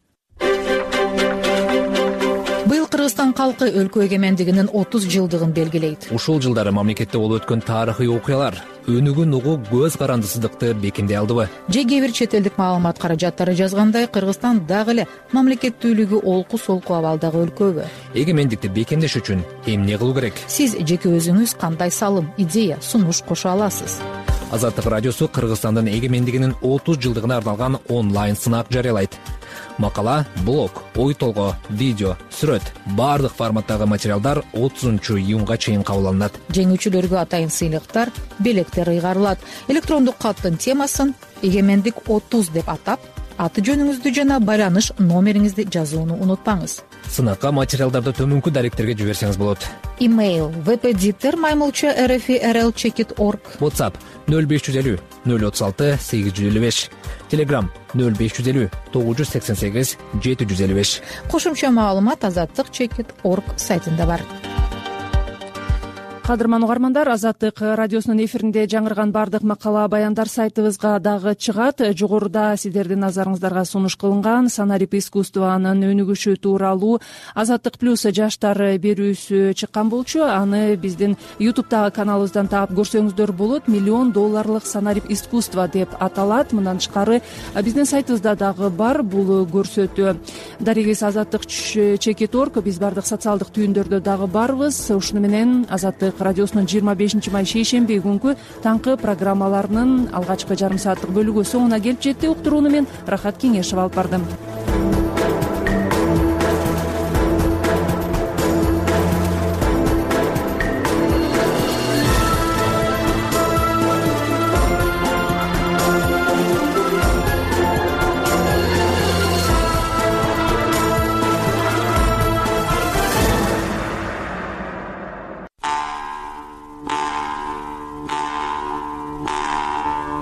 Быйыл Кыргызстан калкы өлкө эгемендигинин отуз жылдыгын белгилейт. Ушул жылдары мамлекетте болуп өткөн тарыхый окуялар өнүгүүн угуу көз карандысыздыкты бекемдей алдыбы? Же кээ бир чет элдик маалымат каражаттары жазгандай, Кыргызстан дагы эле мамлекеттүүлүгү олку солку абалдагы өлкөбү? Эгемендикти бекемдеш үчүн эмне кылуу керек? Сиз жеке өзүңүз кандай салым, идея, сунуш кошо аласыз? Азаттык радиосу Кыргызстандын эгемендигинин отуз жылдыгына арналган онлайн сынак жарыялайт. Макала, блог, ой толгоо, видео, сүрөт, баардык форматтагы материалдар отузунчу июнга чейин кабыл алынат. Жеңүүчүлөргө атайын сыйлыктар, белектер ыйгарылат. Электрондук каттын темасын эгемендик отуз деп атап, аты жөнүңүздү жана байланыш номериңизди жазууну унутпаңыз. Сынакка материалдарды төмөнкү даректерге жиберсеңиз болот. Имейл впдиктер маймылча rfrl чекит org. WhatsApp нөл беш жүз элүү нөл отуз алты сегиз жүз элүү беш. Telegram нөл беш жүз элүү тогуз жүз сексен сегиз жети жүз элүү беш. Кошумча маалымат азаттык чекит org сайтында бар. кадырман угармандар, Азаттык радиосунун эфиринде жаңырган баардык макала баяндар сайтыбызга дагы чыгат. Жогоруда сиздердин назарыңыздарга сунуш кылынган санарип искусствонун өнүгүшү тууралуу Азаттык плюс жаштар берүүсү чыккан болчу. Аны биздин ютубтагы каналыбыздан таап көрсөңүздөр болот. Миллион долларлык санарип искусство деп аталат. Мындан тышкары биздин сайтыбызда дагы бар бул көрсөтүү. Дарегиз Азаттык чекит орг. Биз баардык социалдык түйүндөрдө дагы барбыз. Ушуну менен Азаттык радиосунун жыйырма бешинчи май шейшемби күнкү таңкы программаларынын алгачкы жарым сааттык бөлүгү соңуна келип жетти. Уктурууну мен Рахат Кеңешев алып бардым.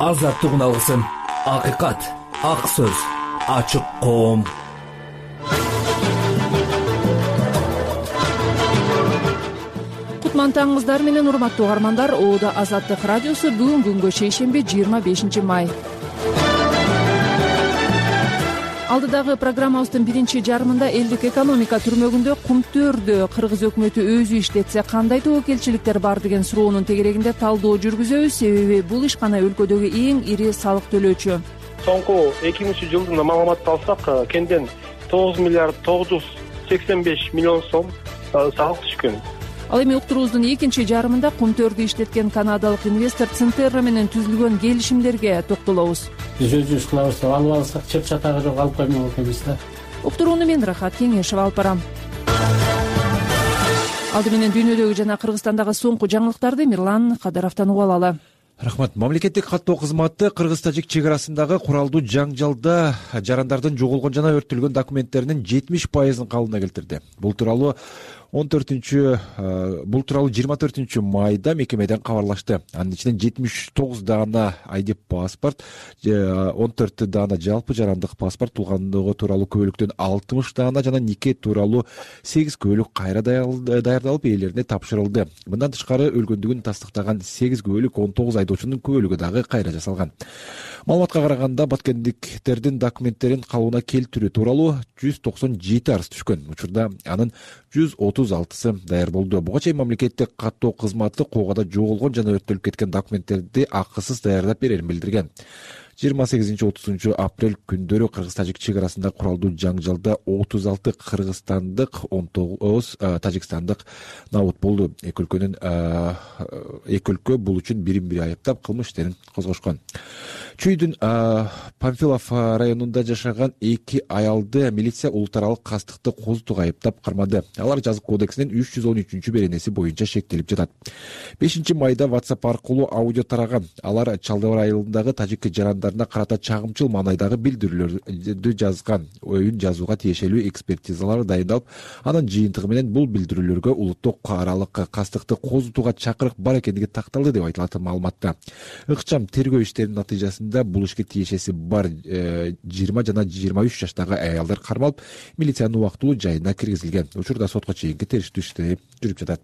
Азаттыгын алгысың, акыйкат, ак сөз, ачык коом. Кутман таңыңыздар менен урматтуу угармандар. Оодо Азаттык радиосу бүгүн күнгө шейшемби жыйырма бешинчи май. Алдыдагы программабыздын биринчи жарымында элдик экономика түрмөгүндө кумтөрдө кыргыз өкмөтү өзү иштетсе кандай тобокелчиликтер бар деген суроонун тегерегинде талдоо жүргүзөбүз. Себеби бул ишкана өлкөдөгү эң ири салык төлөөчү. Соңку эки миңинчи жылдын маалыматын алсак, кемден тогуз миллиард тогуз жүз сексен беш миллион сом салык түшкөн. Ал эми уктуруубуздун экинчи жарымында кумтөрдү иштеткен канадалык инвестор Центерра менен түзүлгөн келишимдерге токтолобуз. Биз өзүбүз кылабыз деп алып алсак, чеп чатагы жок алып коймок экенбиз да. Уктурууну мен Рахат Кеңешев алып барам. Алды менен дүйнөдөгү жана Кыргызстандагы соңку жаңылыктарды Мирлан Кадыровдон угуп алалы. Рахмат. Мамлекеттик каттоо кызматы кыргыз-тажик чек арасындагы куралдуу жаңжалда жарандардын жоголгон жана өрттөлгөн документтеринин жетимиш пайызын калыбына келтирди. Бул тууралуу он төртүнчү бул тууралуу жыйырма төртүнчү майда мекемеден кабарлашты. Анын ичинен жетимиш тогуз даана айди паспорт, он төрт даана жалпы жарандык паспорт, туулгандыгы тууралуу күбөлүктөн алтымыш даана жана нике тууралуу сегиз күбөлүк кайра даярдалып ээлерине тапшырылды. Мындан тышкары өлгөндүгүн тастыктаган сегиз күбөлүк он тогуз айдоочунун күбөлүгү дагы кайра жасалган. Маалыматка караганда баткендиктердин документтерин калыбына келтирүү тууралуу жүз токсон жети арыз түшкөн. Учурда анын жүз отуз алтысы даяр болду. Буга чейин мамлекеттик каттоо кызматы коогада жоголгон жана өрттөлүп кеткен документтерди акысыз даярдап берерин билдирген. жыйырма сегизинчи отузунчу апрель күндөрү кыргыз-тажик чек арасында куралдуу жаңжалда отуз алты кыргызстандык, он тогуз тажикстандык набут болду. Эки өлкөнүн эки өлкө бул үчүн бирин-бири айыптап кылмыш иштерин козгошкон. Чүйдүн Памфилов районунда жашаган эки аялды милиция улуттаралык кастыкты козутууга айыптап кармады. Алар жазык кодексинин үч жүз он үчүнчү беренеси боюнча шектелип жатат. бешинчи майда WhatsApp аркылуу аудио тараган. Алар Чалдыбар айылындагы тажик жарандарына карата чагымчыл маанайдагы билдирүүлөрдү жазган. Оюн жазууга тиешелүү экспертизалар дайындалып, анын жыйынтыгы менен бул билдирүүлөргө улуттук аралык кастыкты козутууга чакырык бар экендиги такталды деп айтылат маалыматта. Ыкчам тергөө иштеринин натыйжасында бул ишке тиешеси бар жыйырма жана жыйырма үч жаштагы аялдар кармалып, милициянын убактылуу жайына киргизилген. Учурда сотко чейинки териштирүү иштери жүрүп жатат.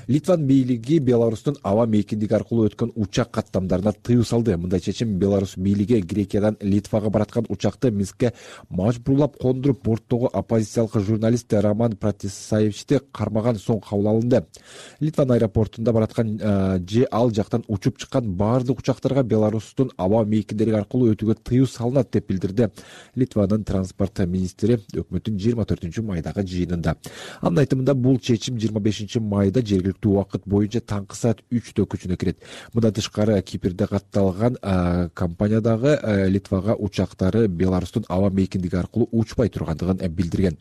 Литван бийлиги Беларустун аба мейкиндиги аркылуу өткөн учак каттамдарына тыюу салды. Мындай чечим Беларус бийлиги Грекиядан Литвага бараткан учакты Минскке мажбурлап кондуруп, борттогу оппозициялык журналист Роман Протасевичти кармаган соң кабыл алынды. Литван аэропортунда бараткан же ал жактан учуп чыккан баардык учактарга Беларустун аба мейкиндери аркылуу өтүүгө тыюу салынат деп билдирди Литванын транспорт министри өкмөттүн жыйырма төртүнчү майдагы жыйынында. Анын айтымында бул чечим жыйырма бешинчи майда жергиликтүү убакыт боюнча таңкы саат үчтө күчүнө кирет. Мындан тышкары Кипрде катталган компаниядагы Литвага учактары Беларустун аба мейкиндиги аркылуу учпай тургандыгын билдирген.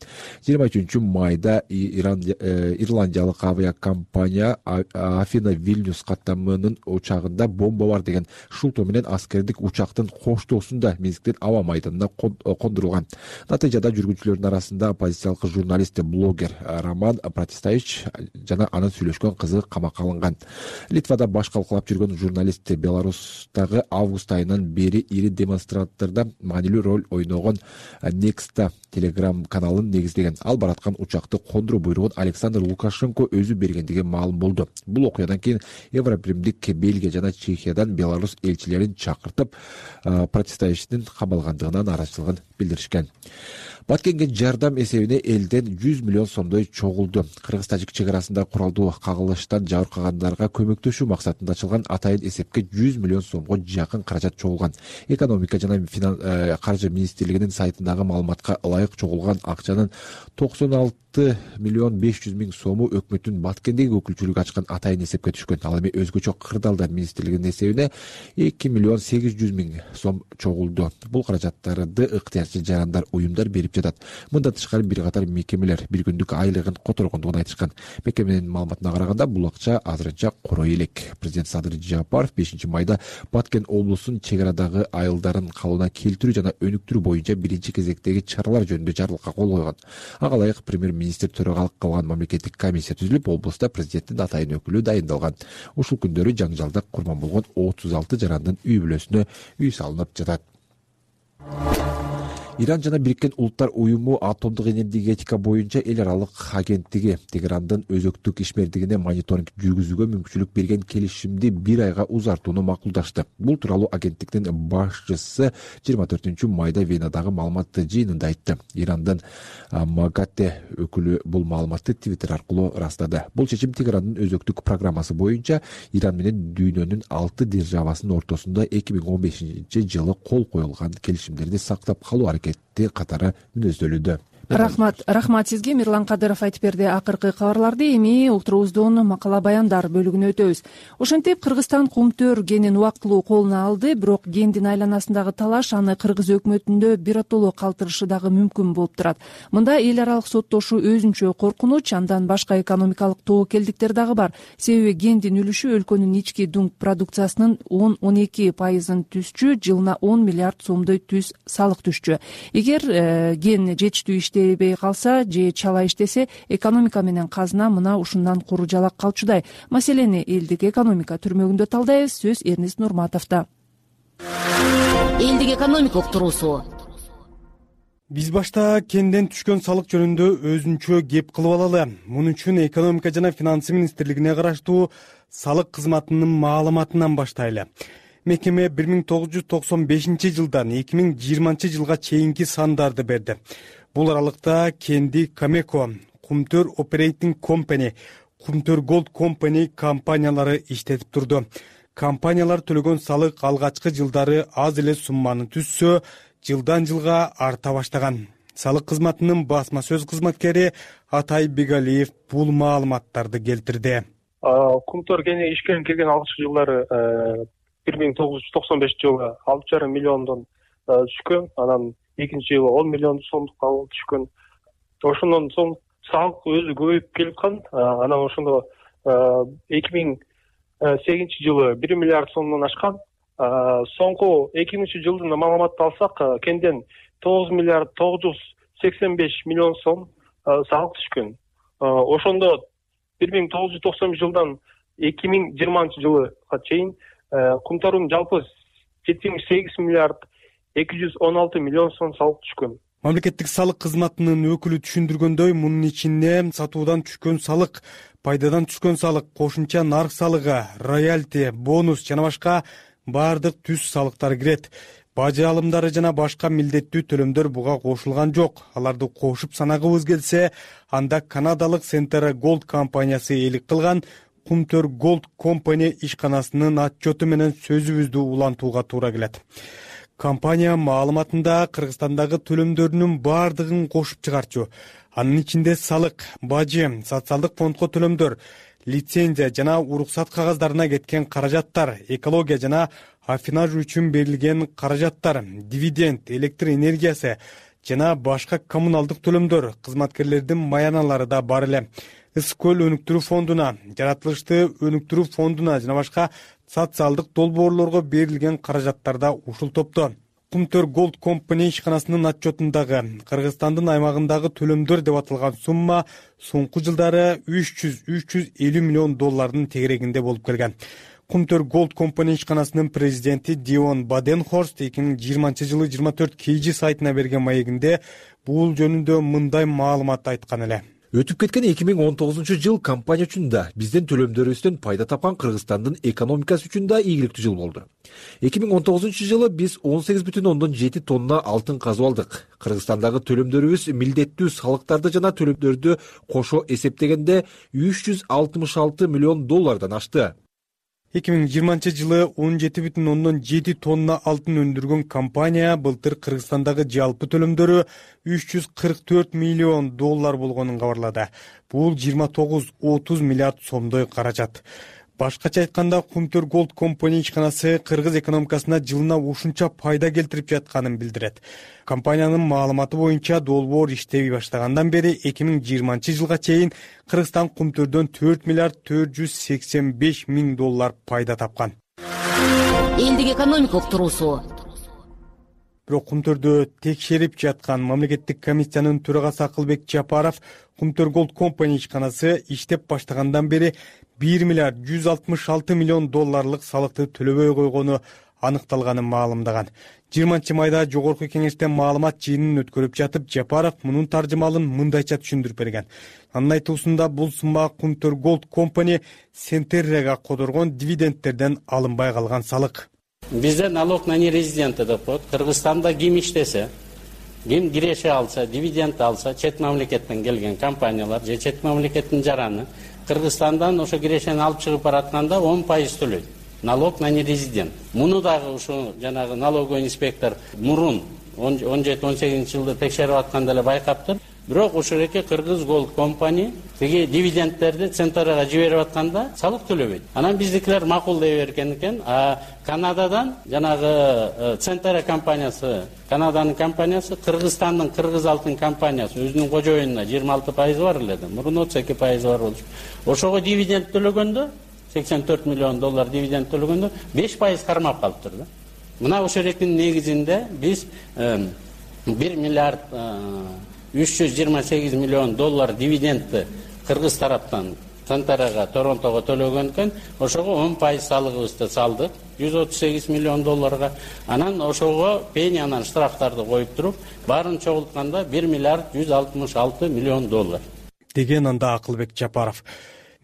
жыйырма үчүнчү майда ирландиялык авиакомпания Афина Вильнюс каттамынын учагында бомба бар деген шултоо менен аскердик учактын коштоосунда Минсктин аба майданына кондурулган. Натыйжада жүргүнчүлөрдүн арасында оппозициялык журналист, блогер Роман Протасевич жана анын сүйлөшкөн түшкөн кызы камакка алынган. Литвада баш калкалап жүргөн журналист Беларустагы август айынан бери ири демонстранттордо маанилүү роль ойногон Nexta телеграм каналын негиздеген. Ал бараткан учакты кондуруу буйругун Александр Лукашенко өзү бергендиги маалым болду. Бул окуядан кийин Европримдик Бельгия жана Чехиядан Беларус элчилерин чакыртып, протестовичтин камалгандыгына нааразычылыгын билдиришкен. Баткенге жардам эсебине элден жүз миллион сомдой чогулду. Кыргыз-тажик чек арасында куралдуу кагылыштан жабыркагандарга көмөктөшүү максатында ачылган атайын эсепке жүз миллион сомго жакын каражат чогулган. Экономика жана каржы министрлигинин сайтындагы маалыматка ылайык чогулган акчанын токсон алты миллион беш жүз миң сому өкмөттүн Баткендеги өкүлчүлүгү ачкан атайын эсепке түшкөн. Ал эми өзгөчө кырдаалдар министрлигинин эсебине эки миллион сегиз жүз миң сом чогулду. Бул каражаттарды ыктыярчы жарандар, уюмдар берип жатат. Мындан тышкары бир катар мекемелер бир күндүк айлыгын которгондугун айтышкан. Мекеменин маалыматына караганда бул акча азырынча корой элек. Президент Садыр Жапаров бешинчи майда Баткен облусунун чек арадагы айылдарын калыбына келтирүү жана өнүктүрүү боюнча биринчи кезектеги чаралар жөнүндө жарлыкка кол койгон. Ага ылайык премьер-министр төрагалык кылган мамлекеттик комиссия түзүлүп, облуста президенттин атайын өкүлү дайындалган. Ушул күндөрү жаңжалда курман болгон отуз алты жарандын үй бүлөсүнө үй салынып жатат. Иран жана Бириккен Улуттар уюму атомдук энергетика боюнча эл аралык агенттиги Тегерандын өзөктүк ишмердигине мониторинг жүргүзүүгө мүмкүнчүлүк берген келишимди бир айга узартууну макулдашты. Бул тууралуу агенттиктин башчысы жыйырма төртүнчү майда Венадагы маалымат жыйынында айтты. Ирандын Магате өкүлү бул маалыматты Твиттер аркылуу ырастады. Бул чечим Тегерандын өзөктүк программасы боюнча Иран менен дүйнөнүн алты державасынын ортосунда эки миң он бешинчи жылы кол коюлган келишимдерди сактап калуу аракети катары мүнөздөлүүдө. Рахмат, рахмат сизге. Мирлан Кадыров айтып берди акыркы кабарларды. Эми ултурубуздун макала баяндар бөлүгүнө өтөбүз. Ошентип Кыргызстан кумтөр генин убактылуу колуна алды, бирок гендин айланасындагы талаш аны кыргыз өкмөтүндө биротоло калтырышы дагы мүмкүн болуп турат. Мында эл аралык соттошуу өзүнчө коркунуч, андан башка экономикалык тобокелдиктер дагы бар. Себеби гендин үлүшү өлкөнүн ички дүң продукциясынын он он эки пайызын түзчү, жылына он миллиард сомдой түз салык түшчү. Эгер э, ген жетиштүү иштебей калса же чала иштесе, экономика менен казына мына ушундан куру жалак калчудай. Маселени элдик экономика түрмөгүндө талдайбыз. Сөз Эрнест Нурматовдо. Элдик экономика уктуруусу. Биз башта кенден түшкөн салык жөнүндө өзүнчө кеп кылып алалы. Муну үчүн экономика жана финансы министрлигине караштуу салык кызматынын маалыматынан баштайлы. Мекеме бир миң тогуз жүз токсон бешинчи жылдан эки миң жыйырманчы жылга чейинки сандарды берди. Бул аралыкта Кенди Камеко, Кумтөр Operating Company, Кумтөр Gold Company компаниялары иштетип турду. Компаниялар төлөгөн салык алгачкы жылдары аз эле сумманы түзсө, жылдан жылга арта баштаган. Салык кызматынын басма сөз кызматкери Атай Бегалиев бул маалыматтарды келтирди. Кумтөр гени ишке кирген алгачкы жылдары бир миң тогуз жүз токсон бешинчи жылы алты жарым миллиондон түшкөн, анан экинчи жылы он миллион сомдукка түшкөн. Ошондон соң салык өзү көбөйүп келаткан. Анан ошондо эки миң сегизинчи жылы бир миллиард сомдон ашкан. Соңку эки миңинчи жылдын маалыматты алсак, кенден тогуз миллиард тогуз жүз сексен беш миллион сом салык түшкөн. Ошондо бир миң тогуз жүз токсон жылдан эки миң жыйырманчы жылга чейин Кумтордун жалпы жетимиш сегиз миллиард эки жүз он алты миллион сом салык түшкөн. Мамлекеттик салык кызматынын өкүлү түшүндүргөндөй, мунун ичинде сатуудан түшкөн салык, пайдадан түшкөн салык, кошумча нарк салыгы, роялти, бонус жана башка баардык түз салыктар кирет. Бажы алымдары жана башка милдеттүү төлөмдөр буга кошулган жок. Аларды кошуп санагыбыз келсе, анда канадалык Centera Gold компаниясы элик кылган Кумтөр Gold Company ишканасынын отчету менен сөзүбүздү улантууга туура келет. Компания маалыматында Кыргызстандагы төлөмдөрүнүн баардыгын кошуп чыгарчу. Анын ичинде салык, бажы, социалдык фондко төлөмдөр, лицензия жана уруксат кагаздарына кеткен каражаттар, экология жана аффинаж үчүн берилген каражаттар, дивиденд, электр энергиясы жана башка коммуналдык төлөмдөр, кызматкерлердин маяналары да бар эле. Ысык-көл өнүктүрүү фондуна, жаратылышты өнүктүрүү фондуна жана башка социалдык долбоорлорго берилген каражаттар да ушул топто. Кумтөр Gold Company ишканасынын отчетундагы Кыргызстандын аймагындагы төлөмдөр деп аталган сумма соңку жылдары үч жүз үч жүз элүү миллион доллардын тегерегинде болуп келген. Кумтөр Gold Company ишканасынын президенти Дион Баденхорст эки миң жыйырманчы жылы жыйырма төрт Кейжи сайтына берген маегинде бул жөнүндө мындай маалымат айткан эле. Өтүп кеткен эки миң он тогузунчу жыл компания үчүн да, биздин төлөмдөрүбүздөн пайда тапкан Кыргызстандын экономикасы үчүн да ийгиликтүү жыл болду. эки миң он тогузунчу жылы биз он сегиз бүтүн ондон жети тонна алтын казып алдык. Кыргызстандагы төлөмдөрүбүз милдеттүү салыктарды жана төлөмдөрдү кошо эсептегенде үч жүз алтымыш алты миллион доллардан ашты. эки миң жыйырманчы жылы он жети бүтүн ондон жети тонна алтын өндүргөн компания былтыр Кыргызстандагы жалпы төлөмдөрү үч жүз кырк төрт миллион доллар болгонун кабарлады. Бул жыйырма тогуз отуз миллиард сомдой каражат. Башкача айтканда, Кумтөр Gold Company ишканасы кыргыз экономикасына жылына ушунча пайда келтирип жатканын билдирет. Компаниянын маалыматы боюнча долбоор иштей баштагандан бери эки миң жыйырманчы жылга чейин Кыргызстан кумтөрдөн төрт миллиард төрт жүз сексен беш миң доллар пайда тапкан. Элдик экономика уктуруусу. Бирок кумтөрдү текшерип жаткан мамлекеттик комиссиянын төрагасы Акылбек Жапаров Кумтөр Gold Company ишканасы иштеп баштагандан бери бир миллиард жүз алтымыш алты миллион долларлык салыкты төлөбөй койгону аныкталганын маалымдаган. жыйырманчы майда жогорку кеңештен маалымат жыйынын өткөрүп жатып, Жапаров мунун таржымалын мындайча түшүндүрүп берген. Анын айтуусунда бул сумма Кумтөр Gold Company Сентеррега кодоргон дивидендтерден алынбай калган салык. Бизде налог на нерезиденты деп коет. Кыргызстанда ким иштесе, ким киреше алса, дивиденд алса, чет мамлекеттен келген компаниялар же чет мамлекеттин жараны Кыргызстандан ошо кирешени алып чыгып баратканда он пайыз төлөйт. Налог на нерезидент. Муну дагы ушу жанагы налоговый инспектор мурун он жети он сегизинчи жылда текшерип атканда эле байкаптыр. Бирок ушул эки Кыргыз Gold Company тиги дивидендтерди Центрага жиберип атканда салык төлөбөйт. Анан биздикилер макулдай берген экен. А Канададан жанагы Центра компаниясы, Канаданын компаниясы, Кыргызстандын Кыргыз алтын компаниясы өзүнүн кожоюнуна жыйырма алты пайыз бар эле да. Мурун отуз эки пайыз бар болчу. Ошого дивиденд төлөгөндө сексен төрт миллион доллар дивиденд төлөгөндө беш пайыз кармап калыптыр да. Мына ошол экинин негизинде биз бир миллиард үч жүз жыйырма сегиз миллион доллар дивидендти Кыргыз тараптан Центрага, Торонтого төлөгөндөн ошого он пайыз салыгыбызды салдык жүз отуз сегиз миллион долларга. Анан ошого пенянан штрафтарды коюп туруп, баарын чогултканда бир миллиард жүз алтымыш алты миллион доллар деген анда Акылбек Жапаров.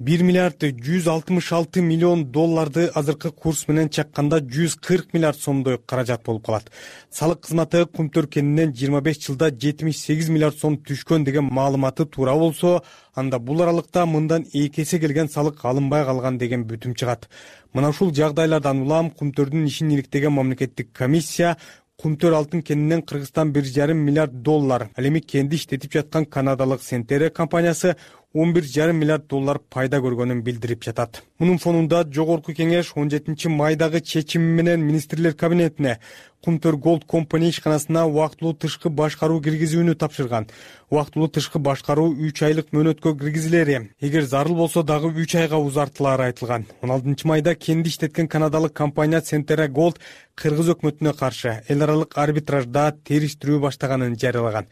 бир миллиард жүз алтымыш алты миллион долларды азыркы курс менен чакканда жүз кырк миллиард сомдой каражат болуп калат. Салык кызматы Кумтөр кенинен жыйырма беш жылда жетимиш сегиз миллиард сом түшкөн деген маалыматы туура болсо, анда бул аралыкта мындан эки эсе келген салык алынбай калган деген бүтүм чыгат. Мына ушул жагдайлардан улам Кумтөрдүн ишин иликтеген мамлекеттик комиссия Кумтөр алтын кенинен Кыргызстан бир жарым миллиард доллар, ал эми кенди иштетип жаткан канадалык Сентере компаниясы он бир жарым миллиард доллар пайда көргөнүн билдирип жатат. Мунун фонунда жогорку кеңеш он жетинчи майдагы чечими менен министрлер кабинетине Кумтөр Gold Company ишканасына убактылуу тышкы башкаруу киргизүүнү тапшырган. Убактылуу тышкы башкаруу үч айлык мөөнөткө киргизилери, эгер зарыл болсо дагы үч айга узартылары айтылган. он алтынчы майда кенди иштеткен канадалык компания Сентере Gold Кыргыз өкмөтүнө каршы эл аралык арбитражда териштирүү баштаганын жарыялаган.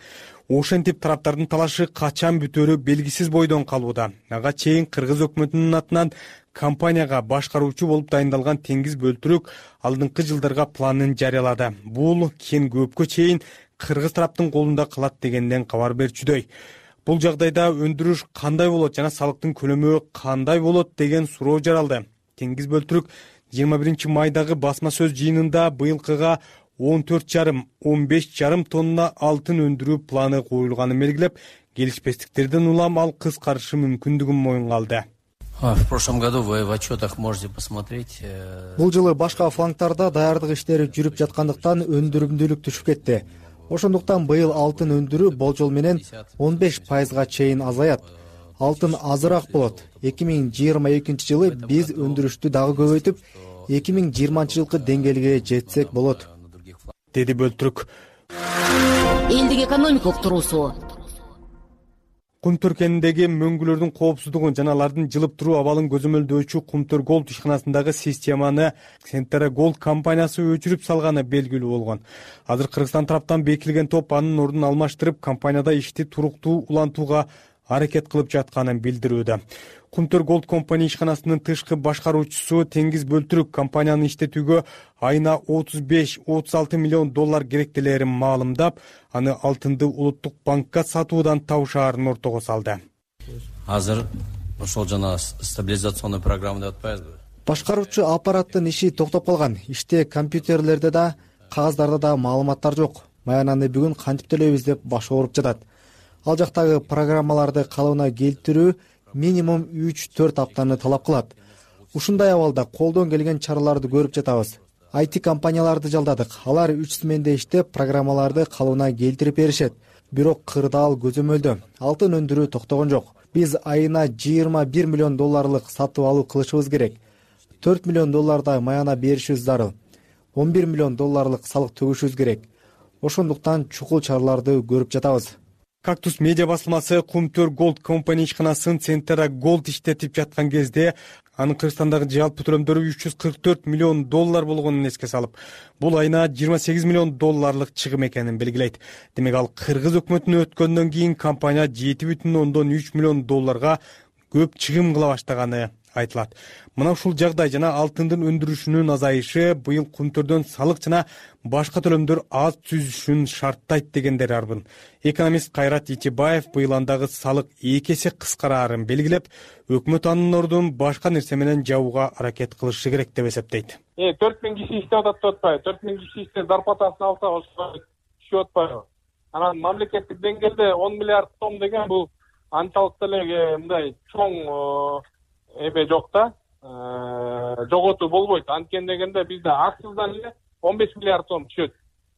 Ошентип тараптардын талашы качан бүтөөрү белгисиз бойдон калууда. Ага чейин Кыргыз өкмөтүнүн атынан компанияга башкаруучу болуп дайындалган Теңиз Бөлтүрүк алдыңкы жылдарга планын жарыялады. Бул кен көпкө чейин Кыргыз тараптын колунда калат дегенден кабар берчүдөй. Бул жагдайда өндүрүш кандай болот жана салыктын көлөмү кандай болот деген суроо жаралды. Теңиз Бөлтүрүк жыйырма биринчи майдагы басма сөз жыйынында быйылкыга он төрт жарым он беш жарым тонна алтын өндүрүү планы коюлганын белгилеп, келишпестиктерден улам ал кыскарышы мүмкүндүгүн моюнга алды. В прошлом году вы в отчетах можете посмотреть. Бул жылы башка флангтарда даярдык иштери жүрүп жаткандыктан өндүрүмдүүлүк түшүп кетти. Ошондуктан быйыл алтын өндүрүү болжол менен он беш пайызга чейин азаят. Алтын азыраак болот. эки миң жыйырма экинчи жылы биз өндүрүштү дагы көбөйтүп, эки миң жыйырманчы жылкы деңгээлге жетсек болот, деди Бөлтүрүк. Элдик экономика уктуруусу. Кумтөр кенindеги мөңгүлөрдүн коопсуздугун жана алардын жылып туруу абалын көзөмөлдөөчү Кумтөр Голд ишканасындагы системаны Центера Голд компаниясы өчүрүп салганы белгилүү болгон. Азыр Кыргызстан тараптан бекитилген топ анын ордун алмаштырып, компанияда ишти туруктуу улантууга аракет кылып жатканын билдирүүдө. Кумтөр Голд компания ишканасынын тышкы башкаруучусу Теңиз Бөлтүрүк компанияны иштетүүгө айына отуз беш отуз алты миллион доллар керектелерин маалымдап, аны алтынды улуттук банкка сатуудан табышаарын ортого салды. Азыр ошол жана стабилизационный программа деп атпайбызбы? Башкаруучу аппараттын иши токтоп калган. Иште компьютерлерде да, кагаздарда да маалыматтар жок. Маянаны бүгүн кантип төлөйбүз деп баш ооруп жатат. Ал жактагы программаларды калыбына келтирүү минимум үч төрт аптаны талап кылат. Ушундай абалда колдон келген чараларды көрүп жатабыз. ай ти компанияларды жалдадык. Алар үч сменде иштеп, программаларды калыбына келтирип беришет. Бирок кырдаал көзөмөлдө. Алтын өндүрүү токтогон жок. Биз айына жыйырма бир миллион долларлык сатып алуу кылышыбыз керек. төрт миллион доллардай маяна беришибиз зарыл. он бир миллион долларлык салык төгүшүбүз керек. Ошондуктан чукул чараларды көрүп жатабыз. Кактус медиа басылмасы Кумтөр Голд компания ишканасын Центера Голд иштетип жаткан кезде анын Кыргызстандагы жалпы төлөмдөрү үч жүз кырк төрт миллион доллар болгонун эске салып, бул айына жыйырма сегиз миллион долларлык чыгым экенин белгилейт. Демек ал кыргыз өкмөтүнө өткөндөн кийин компания жети бүтүн ондон үч миллион долларга көп чыгым кыла баштаганы айтылат. Мына ушул жагдай жана алтындын өндүрүшүнүн азайышы быйыл Кумтөрдөн салык жана башка төлөмдөр аз түзүшүн шарттайт дегендер арбын. Экономист Кайрат Итибаев быйыл андагы салык эки эсе кыскараарын белгилеп, өкмөт анын ордун башка нерсе менен жабууга аракет кылышы керек деп эсептейт. Э төрт миң киши иштеп атат деп атпайбы? төрт миң киши иштеп зарплатасын алса, ошо түшүп атпайбы? Анан мамлекеттик деңгээлде он миллиард сом деген бул анчалык деле мындай чоң эме жок да, жоготуу болбойт. Анткени дегенде бизде акциздан эле он беш миллиард сом түшөт.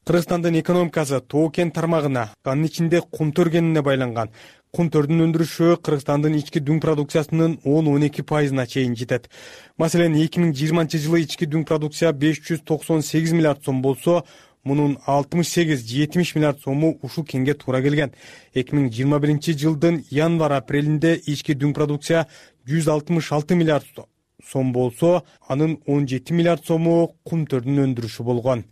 Кыргызстандын экономикасы тоо кен тармагына, анын ичинде Кумтөр кенине байланган. Кумтөрдүн өндүрүшү Кыргызстандын ички дүң продукциясынын он он эки пайызына чейин жетет. Маселен, эки миң жыйырманчы жылы ички дүң продукция беш жүз токсон сегиз миллиард сом болсо, мунун алтымыш сегиз жетимиш миллиард сому ушул кенге туура келген. эки миң жыйырма биринчи жылдын январь-апрелинде ички дүң продукция жүз алтымыш алты миллиард сом болсо, анын он жети миллиард сому Кумтөрдүн өндүрүшү болгон.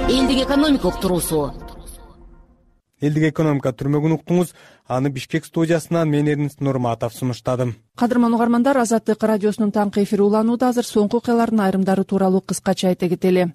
Элдик экономика уктуруусу. Элдик экономика түрмөгүн уктуңуз. Аны Бишкек студиясынан мен Эрнест Нурматов сунуштадым. Кадырман угармандар, Азаттык радиосунун таңкы эфири уланууда. Азыр соңку окуялардын айрымдары тууралуу кыскача айта кетели.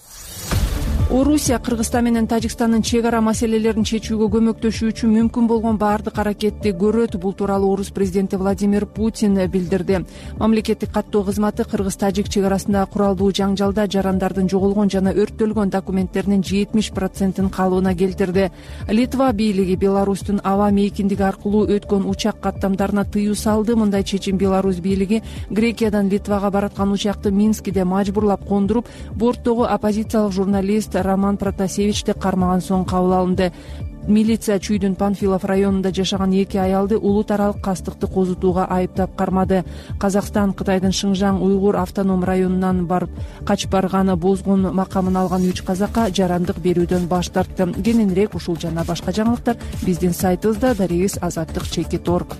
Орусия Кыргызстан менен Тажикстандын чек ара маселелерин чечүүгө көмөктөшүү үчүн мүмкүн болгон баардык аракетти көрөт. Бул тууралуу Орус президенти Владимир Путин билдирди. Мамлекеттик каттоо кызматы Кыргыз-Тажик чек арасындагы куралдуу жаңжалда жарандардын жоголгон жана өрттөлгөн документтеринин жетимиш процентин калыбына келтирди. Литва бийлиги Беларустун аба мейкиндиги аркылуу өткөн учак каттамдарына тыюу салды. Мындай чечим Беларусь бийлиги Грекиядан Литвага бараткан учакты Минскиде мажбурлап кондуруп, борттогу оппозициялык журналист Роман Протасевичти кармаган соң кабыл алынды. Милиция Чүйдүн Панфилов районунда жашаган эки аялды улут аралык кастыкты козутууга айыптап кармады. Казакстан Кытайдын Шыңжаң уйгур автоном районунан барып качып барганы бозгун макамын алган үч казакка жарандык берүүдөн баш тартты. Кененирээк ушул жана башка жаңылыктар биздин сайтыбызда дарегиз азаттык чекит орг.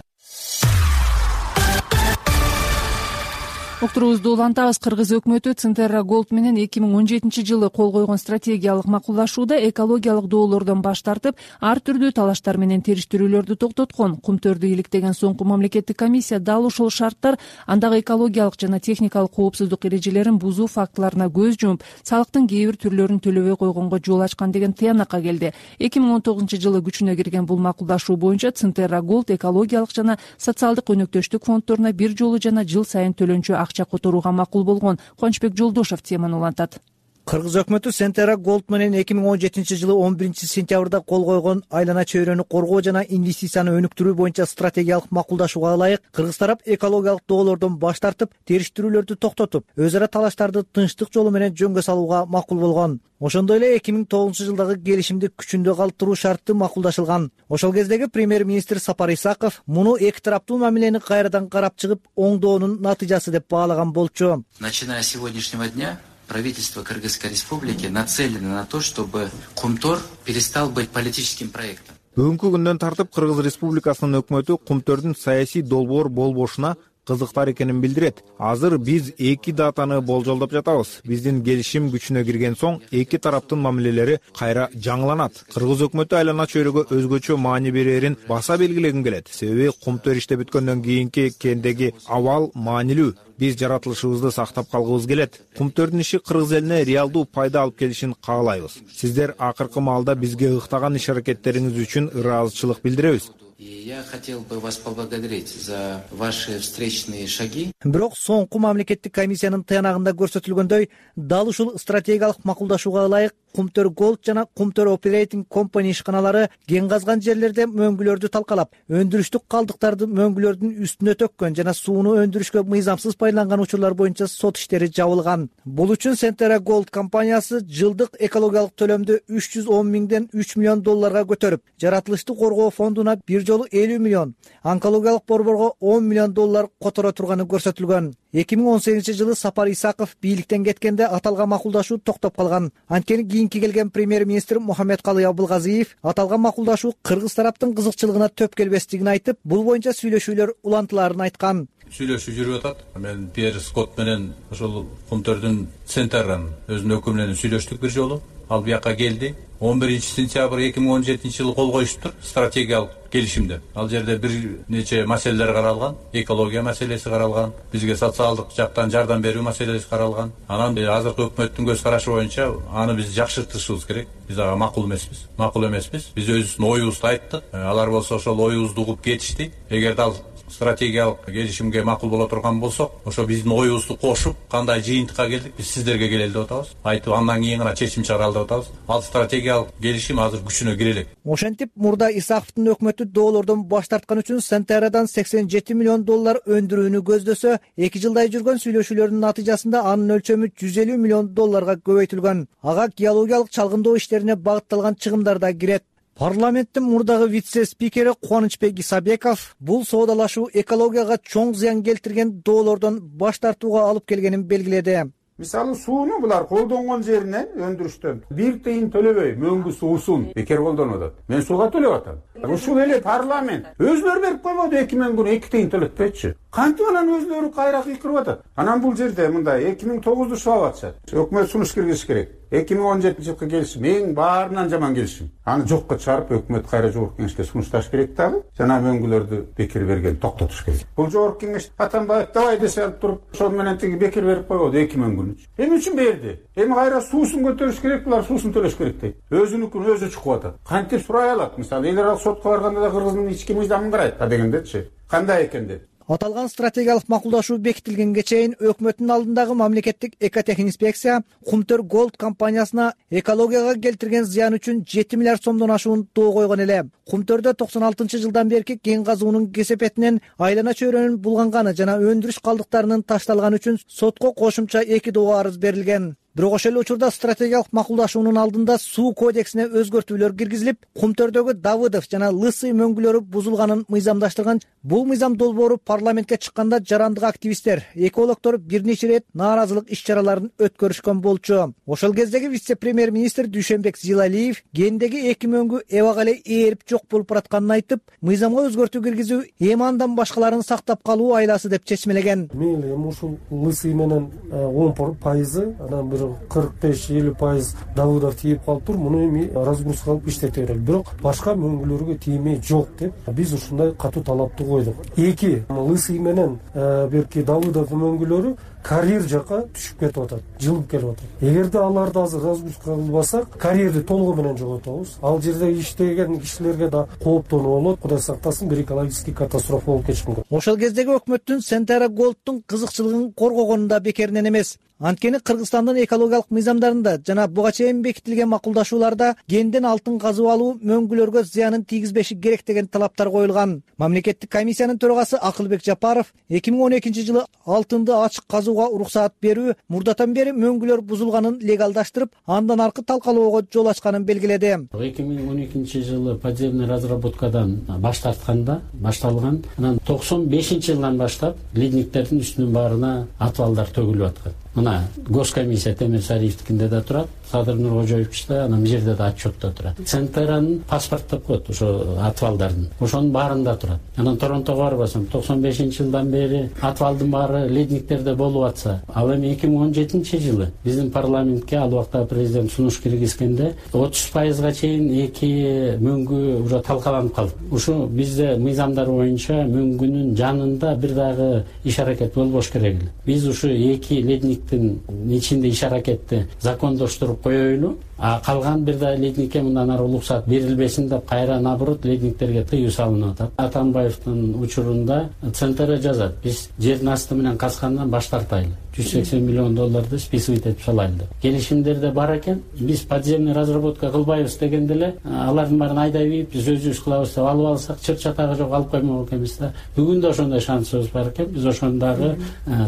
Уктуруубузду улантабыз. Кыргыз өкмөтү Центера Голд менен эки миң он жетинчи жылы кол койгон стратегиялык макулдашууда экологиялык доолордон баш тартып, ар түрдүү талаштар менен териштирүүлөрдү токтоткон. Кумтөрдү иликтеген соңку мамлекеттик комиссия дал ушул шарттар андагы экологиялык жана техникалык коопсуздук эрежелерин бузуу фактыларына көз жумуп, салыктын кээ бир түрлөрүн төлөбөй койгонго жол ачкан деген тыянакка келди. эки миң он тогузунчу жылы күчүнө кирген бул макулдашуу боюнча Центера Голд экологиялык жана социалдык өнөктөштүк фонддоруна бир жолу жана жыл сайын төлөнчү акча которууга макул болгон. Кончбек Жолдошев теманы улантат. Кыргыз өкмөтү Центера Голд менен эки миң он жетинчи жылы он биринчи сентябрда кол койгон айлана чөйрөнү коргоо жана инвестицияны өнүктүрүү боюнча стратегиялык макулдашууга ылайык Кыргыз тарап экологиялык доолордон баш тартып, териштирүүлөрдү токтотуп, өз ара талаштарды тынчтык жолу менен жөнгө салууга макул болгон. Ошондой эле эки миң тогузунчу жылдагы келишимди күчүндө калтыруу шарты макулдашылган. Ошол кездеги премьер-министр Сапар Исаков муну эки тараптуу мамилени кайрадан карап чыгып, оңдоонун натыйжасы деп баалаган болчу. Начиная с сегодняшнего дня правительство Кыргызской республики нацелено на то, чтобы Кумтор перестал быть политическим проектом. Бүгүнкү күндөн тартып Кыргыз Республикасынын өкмөтү кумтөрдүн саясий долбоор болбошуна кызыктар экенин билдирет. Азыр биз эки датаны болжолдоп жатабыз. Биздин келишим күчүнө кирген соң эки тараптын мамилелери кайра жаңыланат. Кыргыз өкмөтү айлана чөйрөгө өзгөчө маани берерин баса белгилегим келет. Себеби кумтөр иште бүткөндөн кийинки кендеги абал маанилүү. Биз жаратылышыбызды сактап калгыбыз келет. Кумтөрдүн иши кыргыз элине реалдуу пайда алып келишин каалайбыз. Сиздер акыркы маалда бизге ыктаган иш аракеттериңиз үчүн ыраазычылык билдиребиз. Я хотел бы вас поблагодарить за ваши встречные шаги. Бирок соңку мамлекеттик комиссиянын тыянагында көрсөтүлгөндөй, дал ушул стратегиялык макулдашууга ылайык Кумтөр Gold жана Кумтөр Operating Company ишканалары кен казган жерлерде мөңгүлөрдү талкалап, өндүрүштүк калдыктарды мөңгүлөрдүн үстүнө төккөн жана сууну өндүрүшкө мыйзамсыз пайдаланган учурлар боюнча сот иштери жабылган. Бул үчүн Centera Gold компаниясы жылдык экологиялык төлөмдү үч жүз он миңден үч миллион долларга көтөрүп, жаратылышты коргоо фондуна бир жолу элүү миллион, онкологиялык борборго он миллион доллар которо турганы көрсөтүлгөн. эки миң он сегизинчи жылы Сапар Исаков бийликтен кеткенде аталган макулдашуу токтоп калган. Анткени кийинки келген премьер-министр Мухаммедкалый Абылгазиев аталган макулдашуу кыргыз тараптын кызыкчылыгына төп келбестигин айтып, бул боюнча сүйлөшүүлөр улантылаарын айткан. Сүйлөшүү жүрүп атат. Мен Пьер Скотт менен ошол Кумтөрдүн Центран өзүнүн өкүлү менен сүйлөштүк бир жолу. Ал бияка келди. он биринчи сентябрь эки миң он жетинчи жылы кол коюшуптур стратегиялык келишимде. Ал жерде бир нече маселелер каралган, экология маселеси каралган, бизге социалдык жактан жардам берүү маселеси каралган. Анан азыркы өкмөттүн көз карашы боюнча аны биз жакшыртышыбыз керек. Биз ага макул эмеспиз. Макул эмеспиз. Биз өзүбүздүн оюбузду айттык. Алар болсо ошол оюбузду угуп кетишти. Эгерде ал стратегиялык келишимге макул боло турган болсок, ошо биздин оюбузду кошуп, кандай жыйынтыкка келдик, биз сиздерге келели деп атабыз. Айтып, андан кийин гана чечим чыгаралы деп атабыз. Ал стратегиялык келишим азыр күчүнө кире элек. Ошентип, мурда Исаковдун өкмөтү доолордон баш тарткан үчүн Centeraдан сексен жети миллион доллар өндүрүүнү көздөсө, эки жылдай жүргөн сүйлөшүүлөрдүн натыйжасында анын өлчөмү жүз элүү миллион долларга көбөйтүлгөн. Ага геологиялык чалгындоо иштерине багытталган чыгымдар да кирет. Парламенттин мурдагы вице-спикери Кубанычбек Исабеков бул соодалашуу экологияга чоң зыян келтирген доолордон баш тартууга алып келгенин белгиледи. Мисалы сууну булар колдонгон жеринен өндүрүштөн бир тыйын төлөбөй мөңгү суусун бекер колдонуп атат. Мен сууга төлөп атам. Ушул эле парламент өзүлөрү берип койбоду эки мөңгүнү эки тыйын төлөтпөйчү. Кантип анан өзүлөрү кайра кыйкырып атат. Анан бул жерде мындай эки миң тогузду шабап атышат. Өкмөт сунуш киргизиш керек. эки миң он жетинчи жылкы келишим эң баарынан жаман келишим. Аны жокко чыгарып өкмөт кайра жогорку кеңешке сунушташ керек дагы. Жана мөңгүлөрдү бекер берген токтотуш керек. Бул жогорку кеңеш Атамбаев давай десе алып туруп, ошол менен тиги бекер берип койбоду эки мөңгүнү. Эмне үчүн берди? Эми кайра суусун көтөрүш керек, булар суусун төлөш керек дейт. Өзүнүкүн өзү чукуп атат. Кантип сурай алат? Мисалы, эл аралык сотко барганда да Кыргыздын ички мыйзамын карайт да дегендечи. Кандай экен деп. Аталган стратегиялык макулдашуу бекитилгенге чейин өкмөттүн алдындагы мамлекеттик экотехинспекция Кумтөр Gold компаниясына экологияга келтирген зыян үчүн жети миллиард сомдон ашуун доо койгон эле. Кумтөрдө токсон алтынчы жылдан берки кен казуунун кесепетинен айлана чөйрөнүн булганганы жана өндүрүш калдыктарынын ташталганы үчүн сотко кошумча эки доо арыз берилген. Бирок ошол эле учурда стратегиялык макулдашуунун алдында суу кодексине өзгөртүүлөр киргизилип, Кумтөрдөгү Давыдов жана Лысый мөңгүлөрү бузулганын мыйзамдаштырган. Бул мыйзам долбоору парламентке чыкканда жарандык активисттер, экологдор бир нече ирет нааразылык иш-чараларын өткөрүшкөн болчу. Ошол кездеги вице-премьер-министр Дүйшөнбек Зилалиев кендеги эки мөңгү эбак эле ээрип жок болуп баратканын айтып, мыйзамга өзгөртүү киргизүү эми андан башкаларын сактап калуу айласы деп чечмелеген. Мейли эми ушул Лысый менен он пайызы, анан бир кырк беш элүү пайыз Давыдов тийип калыптыр. Муну эми разгрузка кылып иштете берели. Бирок башка мөңгүлөргө тиймей жок деп биз ушундай катуу талапты койдук. Эки Лысый менен берки Давыдов мөңгүлөрү карьер жака түшүп кетип атат, жылып келип атат. Эгерде аларды азыр разгрузка кылбасак, карьерди толугу менен жоготобуз. Ал жерде иштеген кишилерге да кооптонуу болот. Кудай сактасын, бир экологический катастрофа болуп кетиши мүмкүн. Ошол кездеги өкмөттүн Centera Gold'тун кызыкчылыгын коргогону да бекеринен эмес. Анткени Кыргызстандын экологиялык мыйзамдарында жана буга чейин бекитилген макулдашууларда кенден алтын казып алуу мөңгүлөргө зыянын тийгизбеши керек деген талаптар коюлган. Мамлекеттик комиссиянын төрагасы Акылбек Жапаров эки миң он экинчи жылы алтынды ачык казууга уруксаат берүү мурдатан бери мөңгүлөр бузулганын легалдаштырып, андан аркы талкалоого жол ачканын белгиледи. эки миң он экинчи жылы подземный разработкадан баш тартканда башталган, анан токсон бешинчи жылдан баштап ледниктердин үстүнүн баарына атыбалдар төгүлүп аткан. мына госкомиссия Темир Сариевдикинде да турат, Садыр Нуркожоевичте, анан бул жерде да отчетто турат. Центеранын паспорт деп коет ошо отвалдардын, ошонун баарында турат. Анан Торонтого барбасам, токсон бешинчи жылдан бери отвалдын баары ледниктерде болуп атса, ал эми эки миң он жетинчи жылы биздин парламентке ал убакта президент сунуш киргизгенде отуз пайызга чейин эки мөңгү уже талкаланып калды. Ушу бизде мыйзамдар боюнча мөңгүнүн жанында бир дагы иш аракет болбош керек эле. Биз ушу эки ледниктин ичинде иш аракетти закондоштуруп коелу, а калган бир да ледникке мындан ары уруксат берилбесин деп кайра наоборот ледниктерге тыюу салынып атат. Атамбаевдин учурунда центр жазат, биз жердин асты менен казгандан баш тартайлы, жүз сексен миллион долларды списывать этип салайлы деп. Келишимдерде бар экен, биз подземный разработка кылбайбыз дегенде эле алардын баарын айдай бейип биз өзүбүз кылабыз деп алып алсак чыр чатагы жок алып коймок экенбиз да. Бүгүн да ошондой шансыбыз бар экен. Биз ошондогу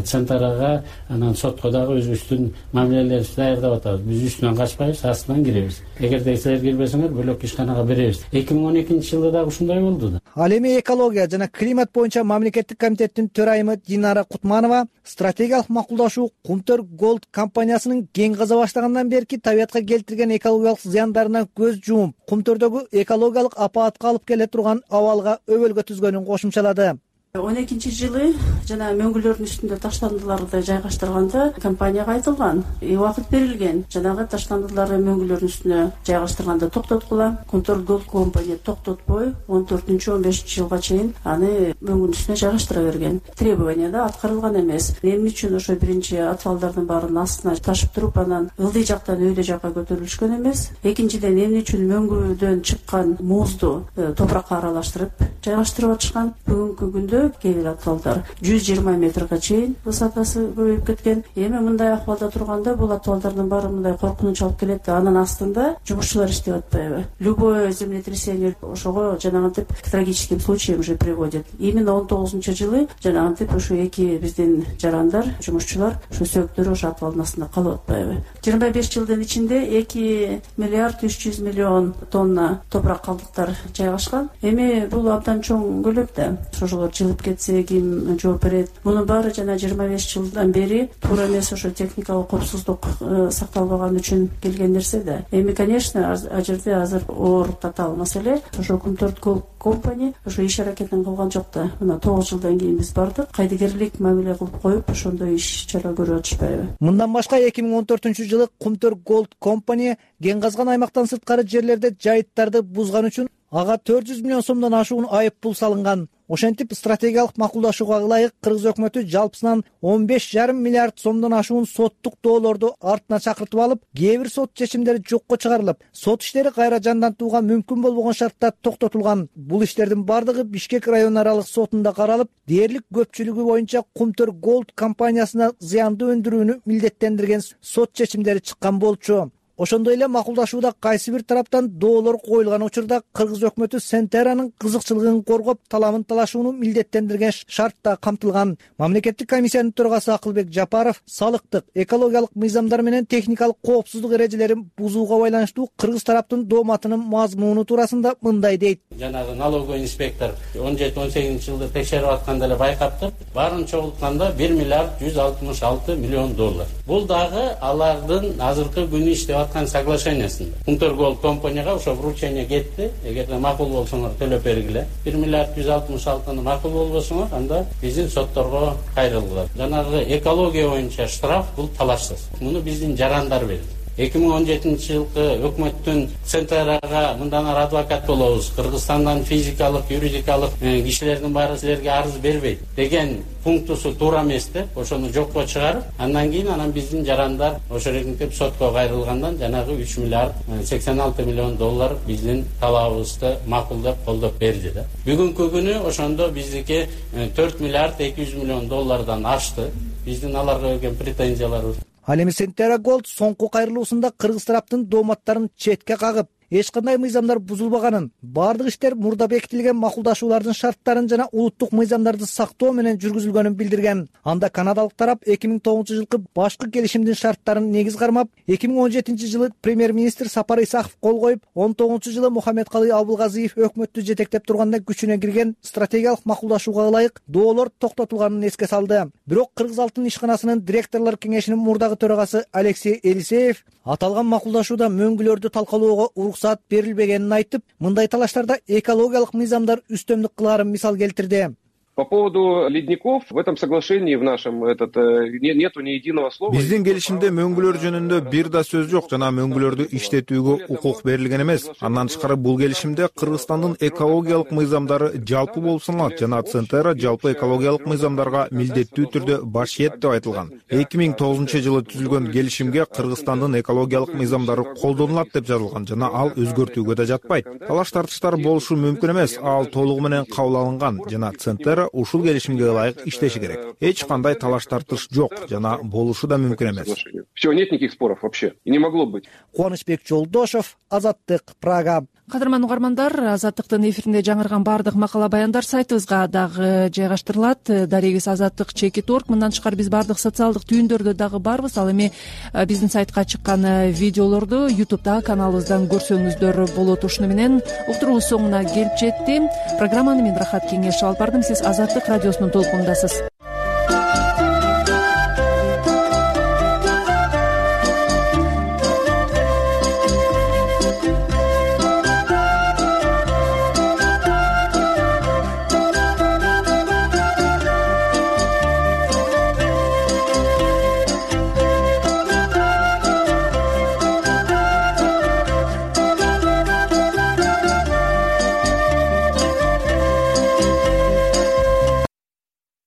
центрга анан сотко дагы өзүбүздүн мамилелерибизди даярдап атабыз. Биз үстүнөн качпайбыз, астынан киребиз. Эгерде силер кирбесеңер бөлөк ишканага беребиз. эки миң он экинчи жылда дагы ушундай болду да. Ал эми экология жана климат боюнча мамлекеттик комитеттин төрайымы Динара Кутманова стратегиялык макулдашуу Кумтөр Голд компаниясынын кең каза баштагандан берки табиятка келтирген экологиялык зыяндарына көз жумуп, Кумтөрдөгү экологиялык апаатка алып келе турган абалга өбөлгө түзгөнүн кошумчалады. он экинчи жылы жана мөңгүлөрдүн үстүндө таштандыларды жайгаштырганда компанияга айтылган, убакыт берилген, жанагы таштандыларды мөңгүлөрдүн үстүнө жайгаштырганда токтоткула. Кумтөр Голд компания токтотпой он төртүнчү он бешинчи жылга чейин аны мөңгүнүн үстүнө жайгаштыра берген. Требования да аткарылган эмес. Эмне үчүн ошо биринчи отвалдардын баарынын астына ташып туруп, анан ылдый жактан өйдө жакка көтөрүлүшкөн эмес. Экинчиден, эмне үчүн мөңгүдөн чыккан музду топуракка аралаштырып жайгаштырып атышкан. Бүгүнкү күндө кээ бир отвалдар жүз жыйырма метрге чейин высотасы көбөйүп кеткен. Эми мындай акыбалда турганда бул отвалдардын баары мындай коркунуч алып келет. Анын астында жумушчулар иштеп атпайбы? Любое землетрясение ошого жанагынтип к трагическим случаям уже приводит. Именно он тогузунчу жылы жанагынтип ушу эки биздин жарандар, жумушчулар ушу сөөктөрү ошо отвалдын астында калып атпайбы? жыйырма беш жылдын ичинде эки миллиард үч жүз миллион тонна топурак калдыктар жайгашкан. Эми бул абдан чоң көлөм да. Ошолор жылып кетсе ким жооп берет? Мунун баары жана жыйырма беш жылдан бери туура эмес, ошо техникалык коопсуздук сакталбаган үчүн келген нерсе да. Эми, конечно, а жерде азыр оор татаал маселе. Ошо Кумтөр Голд компания ошо иш аракетин кылган жок да. Мына тогуз жылдан кийин биз бардык, кайдыгерлик мамиле кылып коюп, ошондой иш чара көрүп атышпайбы? Мындан башка эки миң он төртүнчү жылы Кумтөр Голд компания кен казган аймактан сырткары жерлерде жайыттарды бузган үчүн ага төрт жүз миллион сомдон ашуун айып пул салынган. Ошентип стратегиялык макулдашууга ылайык Кыргыз өкмөтү жалпысынан он беш жарым миллиард сомдон ашуун соттук доолорду артына чакыртып алып, кээ бир сот чечимдери жокко чыгарылып, сот иштери кайра жандантууга мүмкүн болбогон шартта токтотулган. Бул иштердин бардыгы Бишкек район аралык сотунда каралып, дээрлик көпчүлүгү боюнча Кумтөр Голд компаниясына зыянды өндүрүүнү милдеттендирген сот чечимдери чыккан болчу. Ошондой эле макулдашууда кайсы бир тараптан доолор коюлган учурда Кыргыз өкмөтү Сентеранын кызыкчылыгын коргоп, таламын талашууну милдеттендирген шартта камтылган. Мамлекеттик комиссиянын төрагасы Акылбек Жапаров салыктык, экологиялык мыйзамдар менен техникалык коопсуздук эрежелерин бузууга байланыштуу кыргыз тараптын дооматынын мазмуну туурасында мындай дейт. Жанагы налоговый инспектор он жети он сегизинчи жылда текшерип атканда эле байкаптыр. Баарын чогултканда бир миллиард жүз алтымыш алты миллион доллар. Бул дагы алардын азыркы күнү иштеп соглашениясында. Кумтөр Голд компанияга ошо вручение кетти. Эгерде макул болсоңор төлөп бергиле. бир миллиард жүз алтымыш алтыны макул болбосоңор, анда биздин сотторго кайрылгыла. Жанагы экология боюнча штраф бул талашсыз. Муну биздин жарандар берди. эки миң он жетинчи жылкы өкмөттүн Центрага мындан ары адвокат болобуз, Кыргызстандан физикалык, юридикалык кишилердин баары силерге арыз бербейт деген пунктусу туура эмес деп, ошону жокко чыгарып, андан кийин анан биздин жарандар ошо регинтип сотко кайрылгандан жанагы үч миллиард сексен алты миллион доллар биздин талабыбызды макулдап колдоп берди да. Бүгүнкү күнү ошондо биздики төрт миллиард эки жүз миллион доллардан ашты. Биздин аларга берген претензияларыбыз. Ал эми Сентера Голд соңку кайрылуусунда кыргыз тараптын дооматтарын четке кагып, эч кандай мыйзамдар бузулбаганын, баардык иштер мурда бекитилген макулдашуулардын шарттарын жана улуттук мыйзамдарды сактоо менен жүргүзүлгөнүн билдирген. Анда канадалык тарап эки миң тогузунчу жылкы башкы келишимдин шарттарын негиз кармап, эки миң он жетинчи жылы премьер-министр Сапар Исаков кол коюп, он тогузунчу жылы Мухаммедкалый Абылгазиев өкмөттү жетектеп турганда күчүнө кирген стратегиялык макулдашууга ылайык доолор токтотулганын эске салды. Бирок Кыргыз алтын ишканасынын директорлор кеңешинин мурдагы төрагасы Алексей Елисеев аталган макулдашууда мөңгүлөрдү талкалоого уруксаат берилбегенин айтып, мындай талаштарда экологиялык мыйзамдар үстөмдүк кылаарын мисал келтирди. По поводу ледников, в этом соглашении в нашем этот нету ни единого слова. Биздин келишимде мөңгүлөр жөнүндө бир да сөз жок жана мөңгүлөрдү иштетүүгө укук берилген эмес. Андан тышкары бул келишимде Кыргызстандын экологиялык мыйзамдары жалпы болуп саналат жана Центера жалпы экологиялык мыйзамдарга милдеттүү түрдө баш ийет деп айтылган. эки миң тогузунчу жылы түзүлгөн келишимге Кыргызстандын экологиялык мыйзамдары колдонулат деп жазылган жана ал өзгөртүүгө да жатпайт. Талаш тартыштар болушу мүмкүн эмес, ал толугу менен кабыл алынган жана Центера ушул келишимге ылайык иштеши керек. Эч кандай талаш тартыш жок жана болушу да мүмкүн эмес. Все, нет никаких споров вообще. И не могло быть. Кубанычбек Жолдошов, Азаттык, Прага. Кадырман угармандар, Азаттыктын эфиринде жаңырган баардык макала баяндар сайтыбызга дагы жайгаштырылат. Дарегиз Азаттык чекит орг. Мындан тышкары биз баардык социалдык түйүндөрдө дагы барбыз. Ал эми биздин сайтка чыккан видеолорду ютубтагы каналыбыздан көрсөңүздөр болот. Ушуну менен уктуруубуз соңуна келип жетти. Программаны мен Рахат Кеңешов алып бардым. Сиз Азаттык радиосунун толкунундасыз.